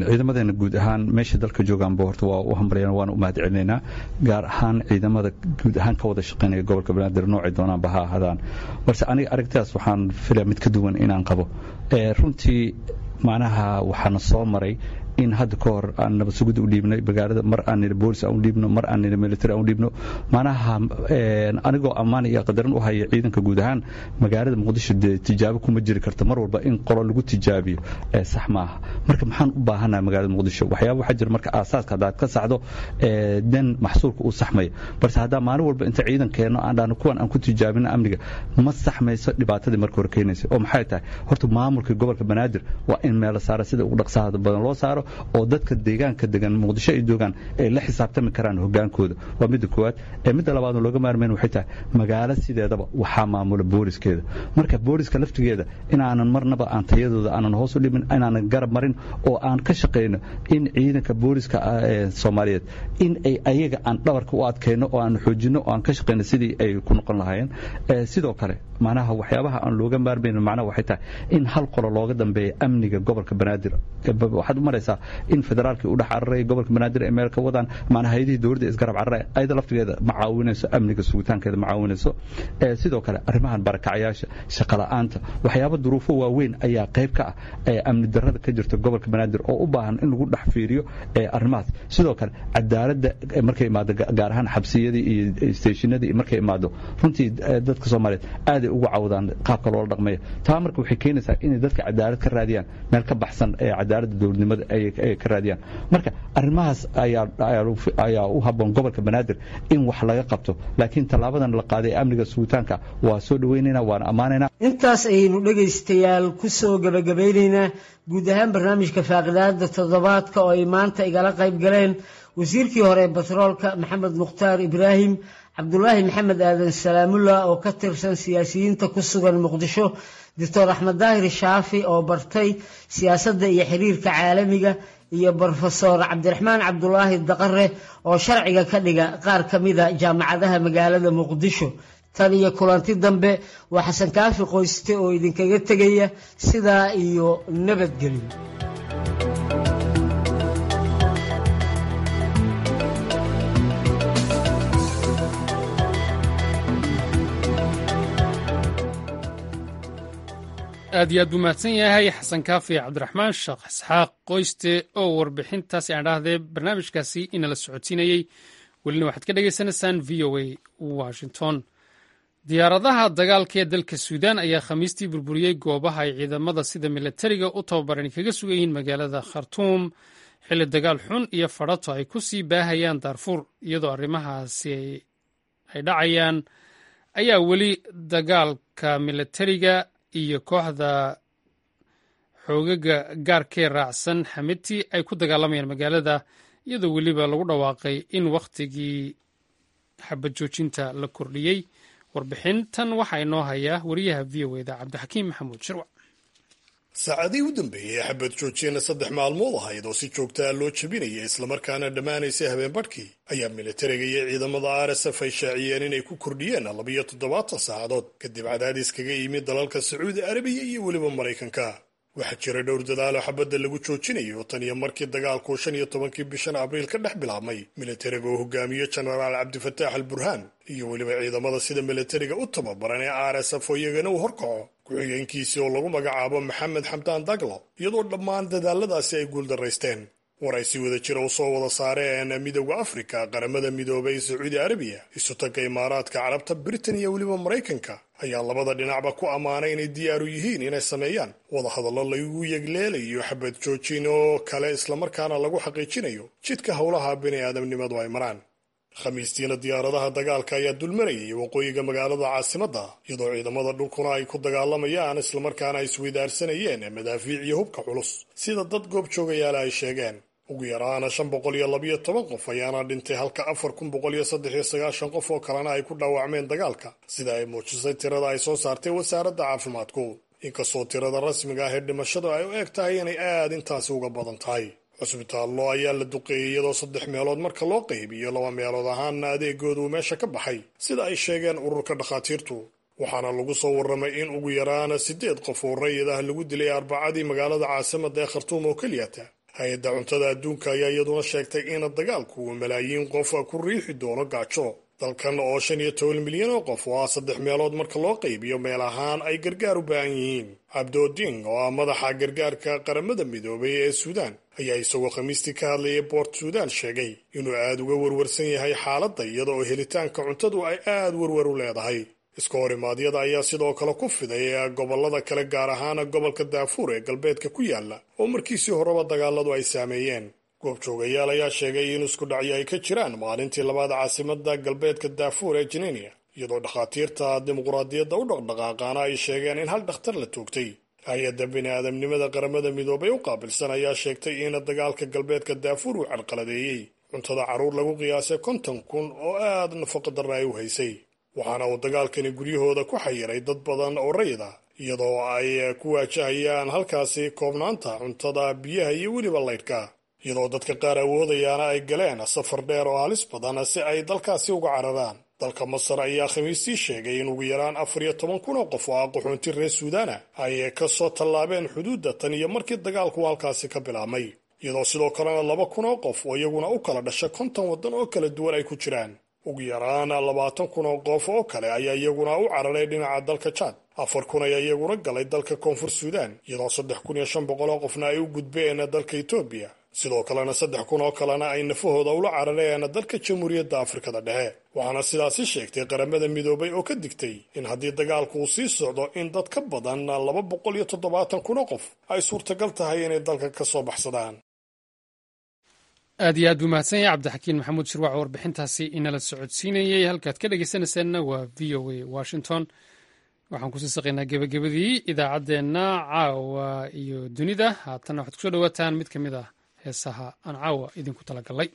ciidamadeena guud ahaan meesha dalka joogaanba horta waa u hambalyaan, waana u mahad celinaynaa, gaar ahaan ciidamada guud ahaan ka wada shaqaynaya gobolka Banaadir noocay doonaanba ha ahaadaan. Balse aniga aragtidaas waxaan filaya mid ka duwan inaan qabo runtii. Macnaha waxaana soo maray in hadda ka hor aan nabad sugidda u dhiibnay magaalada, mar aan nidhi boolis aan u dhiibno, mar aan nidhi military aan u dhiibno. Macnaha anigoo ammaan iyo qadarin u haya ciidanka guud ahaan, magaalada Muqdisho dee tijaabo kuma jiri karto. Mar walba in qolo lagu tijaabiyo sax maaha. Marka maxaan u baahanahay magaalada Muqdisho? Waxyaaba waxaa jira marka aasaaska haddaad ka saxdo dan maxsuulka uu saxmaya, balse haddaa maalin walba inta ciidan keenno aan dhahno kuwan aan ku tijaabino amniga, ma saxmayso dhibaatadii marka hore keenaysa. Oo maxay tahay? Horta maamulka gobolka Banaadir waa in meel la saaro, sida ugu dhaqsaha badan loo saaro, oo dadka deegaanka degan Muqdisho ay joogaan ay la xisaabtami karaan hogaankooda. Waa midda koowaad. Ee midda labaad looga maarmayn waxay tahay, magaalo sideedaba waxaa maamula booliskeeda. Marka booliska laftigeeda inaanan marnaba aan tayadooda aanan hoos u dhimin, inaanan garab marin, oo aan ka shaqayno in ciidanka booliska Soomaaliyeed in ay ayaga aan dhabarka u adkayno oo aan xoojino oo aan ka shaqayno sidii ay ku noqon lahaayeen. Sidoo kale macnaha waxyaabaha aan looga maarmayn macnaha waxay tahay in hal qolo looga dambeeya amniga gobolka Banaadir. Waxaad u maraysaa in federaalkii u dhex cararay gobolka Banaadir ay meel ka wadaan, macnaha hayadihii dowladda isgarab cararay, ayada laftigeeda ma caawinayso amniga sugitaankeeda, ma caawinayso. Sidoo kale arrimahan barakacayaasha, shaqo la'aanta, waxyaabo duruufo waaweyn ayaa qayb ka ah ee amni darrada ka jirta gobolka Banaadir oo u baahan in lagu dhex fiiriyo arrimahaas. Sidoo kale cadaaladda markay imaado, gaar ahaan xabsiyadii iyo steeshinadii markay imaado, runtii dadka Soomaaliyeed aaday ugu cawdaan qaabka loola dhaqmayo. Taa marka waxay keenaysaa inay dadka cadaalad ka raadiyaan meel ka baxsan ee cadaaladda dowladnimada ay ka raadiyaan. Marka arrimahaas ayaa ayaa u habboon gobolka Banaadir in wax laga qabto, laakiin tallaabadan la qaaday amniga sugitaanka waa soo dhaweynaynaa, waana ammaanaynaa. Intaas ayaynu dhegaystayaal ku soo gabagabeynaynaa guud ahaan barnaamijka faaqidaada toddobaadka oo ay maanta igala qayb galeen wasiirkii hore ee batroolka Maxamed Mukhtaar Ibraahim, Cabdulaahi Maxamed Aadan Salaamullah oo ka tirsan siyaasiyiinta ku sugan Muqdisho, Doctor Axmed Daahir Shaafi oo bartay siyaasadda iyo xiriirka caalamiga, iyo brofesor Cabdiraxmaan Cabdulaahi Daqare oo sharciga ka dhiga qaar ka mida jaamacadaha magaalada Muqdisho. Tan iyo kulanti dambe, waa Xasan Kaafi Qoyste oo idinkaga tegaya sidaa iyo nabadgelyo. Aad iyo aad buu mahadsan yahay Xasan Kaafi Cabdiraxmaan Sheekh Isxaaq Qoyste oo warbixintaasi aan dhahdee barnaamijkaasi inala socodsiinayey. Welina waxaad ka dhagaysanaysaan V O A Washington. Diyaaradaha dagaalka ee dalka Suudaan ayaa Khamiistii burburiyey goobaha ay ciidamada sida milatariga u tababaran kaga sugan yihiin magaalada Khartuum, xilli dagaal xun iyo fadhato ay ku sii baahayaan Daarfuur. Iyadoo arrimahaasi ay dhacayaan ayaa weli dagaalka milatariga iyo kooxda xoogaga gaarkee raacsan Xamiti ay ku dagaalamayaan magaalada, iyadoo weliba lagu dhawaaqay in wakhtigii xabad joojinta la kordhiyey. Warbixintan waxaa inoo hayaa wariyaha V O eda Cabdixakiim Maxamuud Shirwac. Saacadihii u dambeeyey xabad joojina saddex maalmood ahayd oo si joogtaa loo jebinayay islamarkaana dhammaanaysay habeenbarhkii ayaa militariga iyo ciidamada R S F ay shaaciyeen inay ku kordhiyeen labiyo toddobaatan saacadood kadib cadaadis kaga yimid dalalka Sacuudi Arabiya iyo weliba Maraykanka. Waxaa jira dhowr dadaalo xabadda lagu joojinayo tan iyo markii dagaalku shan iyo tobankii bishan Abriil ka dhex bilaabmay militariga oo hogaamiyo Jenaraal Cabdifataax al Burhaan iyo weliba ciidamada sida militariga u tababaran ee R S F oo iyagana uu horkaco ku-xigeenkiisii oo lagu magacaabo Maxamed Xamdaan Daglo, iyadoo dhammaan dadaaladaasi ay guuldaraysteen. War ay si wada jira u soo wada saareen Midowda Afrika, Qaramada Midoobay, Sacuudi Arabiya, Isu-tagga Imaaraadka Carabta, Britain iyo weliba Maraykanka ayaa labada dhinacba ku ammaanay inay diyaaru yihiin inay sameeyaan wadahadallo lagu yegleelayo xabad joojin oo kale islamarkaana lagu xaqiijinayo jidka howlaha bini aadamnimadu ay maraan. Khamiistiina diyaaradaha dagaalka ayaa dulmarayay waqooyiga magaalada caasimadda, iyadoo ciidamada dhulkuna ay ku dagaalamayaan islamarkaana ay isweydaarsanayeen madaafiic iyo hubka culus, sida dad goob joogayaala ay sheegeen. Ugu yaraana shan boqol iyo labiyo toban qof ayaana dhintay, halka afar kun boqol iyo saddex iyo sagaashan qof oo kalena ay ku dhaawacmeen dagaalka, sida ay muujisay tirada ay soo saartay wasaaradda caafimaadku, inkastoo tirada rasmiga ah ee dhimashadu ay u eg tahay inay aad intaasi uga badan tahay. Cusbitaallo ayaa la duqeeyey, iyadoo saddex meelood marka loo qaybiyo laba meelood ahaana adeegoodu uu meesha ka baxay, sida ay sheegeen ururka dhakhaatiirtu. Waxaana lagu soo warramay in ugu yaraana siddeed qof oo rayid ah lagu dilay Arbacadii magaalada caasimadda ee Khartuum oo keliyata. Hay-adda cuntada adduunka ayaa iyaduna sheegtay in dagaalku uu malaayiin qof ku riixi doono gaajo dalkan oo shan iyo toban milyan oo qof oo ah saddex meelood marka loo qaybiyo meel ahaan ay gargaar u baahan yihiin. Cabdooding oo ah madaxa gargaarka Qaramada Midoobay ee Suudaan ayaa isagoo Khamiistii ka hadlayay Boort Suudaan sheegay inuu aada uga warwarsan yahay xaaladda, iyada oo helitaanka cuntadu ay aada warwar u leedahay. Iska horimaadyada ayaa sidoo kale ku fiday gobolada kale, gaar ahaan gobolka Daafuur ee galbeedka ku yaala oo markiisii horeba dagaaladu ay saameeyeen. Goobjoogayaal ayaa sheegay in isku dhacyo ay ka jiraan maalintii labaad caasimada galbeedka Daafuur ee Jininia, iyadoo dhakhaatiirta dimuqraadiyadda u dhaqdhaqaaqaana ay sheegeen in hal dhakhtar la toogtay. Hay-adda bini aadamnimada Qaramada Midoobay u qaabilsan ayaa sheegtay in dagaalka galbeedka Daafuur uu carqaladeeyey cuntada carruur lagu qiyaasay konton kun oo aada nafaqa darra ay u haysay, waxaana uu dagaalkani guryahooda ku xayiray dad badan oo rayid ah, iyadoo ay ku waajahayaan halkaasi koobnaanta cuntada, biyaha iyo weliba laydhka, iyadoo dadka qaar awoodayaana ay galeen safar dheer oo halis badan si ay dalkaasi uga cararaan. Dalka Masar ayaa Khamiistii sheegay in ugu yaraan afar iyo toban kun oo qof oo ah qaxoonti reer Suudaana ay ka soo tallaabeen xuduudda tan iyo markii dagaalku halkaasi ka bilaabmay, iyadoo sidoo kalena laba kun oo qof oo iyaguna u kala dhasha konton waddan oo kala duwan ay ku jiraan. Ugu yaraan labaatan kun oo qof oo kale ayaa iyaguna u cararay dhinaca dalka Jaad, afar kun ayaa iyaguna galay dalka Koonfur Suudaan, iyadoo saddex kun iyo shan boqol oo qofna ay u gudbeen dalka Etoobiya, sidoo kalena saddex kun oo kalena ay nafahooda ula carareen dalka Jamhuuriyadda Afrikada Dhexe. Waxaana sidaasi sheegtay Qaramada Midoobay oo ka digtay in haddii dagaalku uu sii socdo in dad ka badan laba boqol iyo toddobaatan kun oo qof ay suurtagal tahay inay dalka ka soo baxsadaan. Aad iyo aad buu mahadsan yahay Cabdixakiin Maxamuud Shirwac oo warbixintaasi inala socodsiinayey. Halkaad ka dhegeysanaysaanna waa V O A Washington. Waxaan kusii saqaynaa gebagabadii idaacaddeenna caawa iyo dunida. Haatanna waxaad kusoo dhawaataan mid ka mid ah heesaha aan caawa idinku talagalay.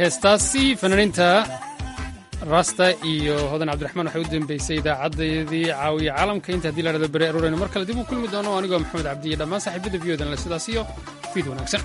Heestaasi fanaaniinta Rasta iyo Hodan Cabdiraxmaan waxay u dambeysay idaacaddayadii Caawiya Caalamka. Inta haddii la dhahdo beri arooraynu mar kale dib u kulmi doono, anigoo Maxamed Cabdi iyo dhammaan saaxiibada V O dan le sidaas iyo fiid wanaagsan.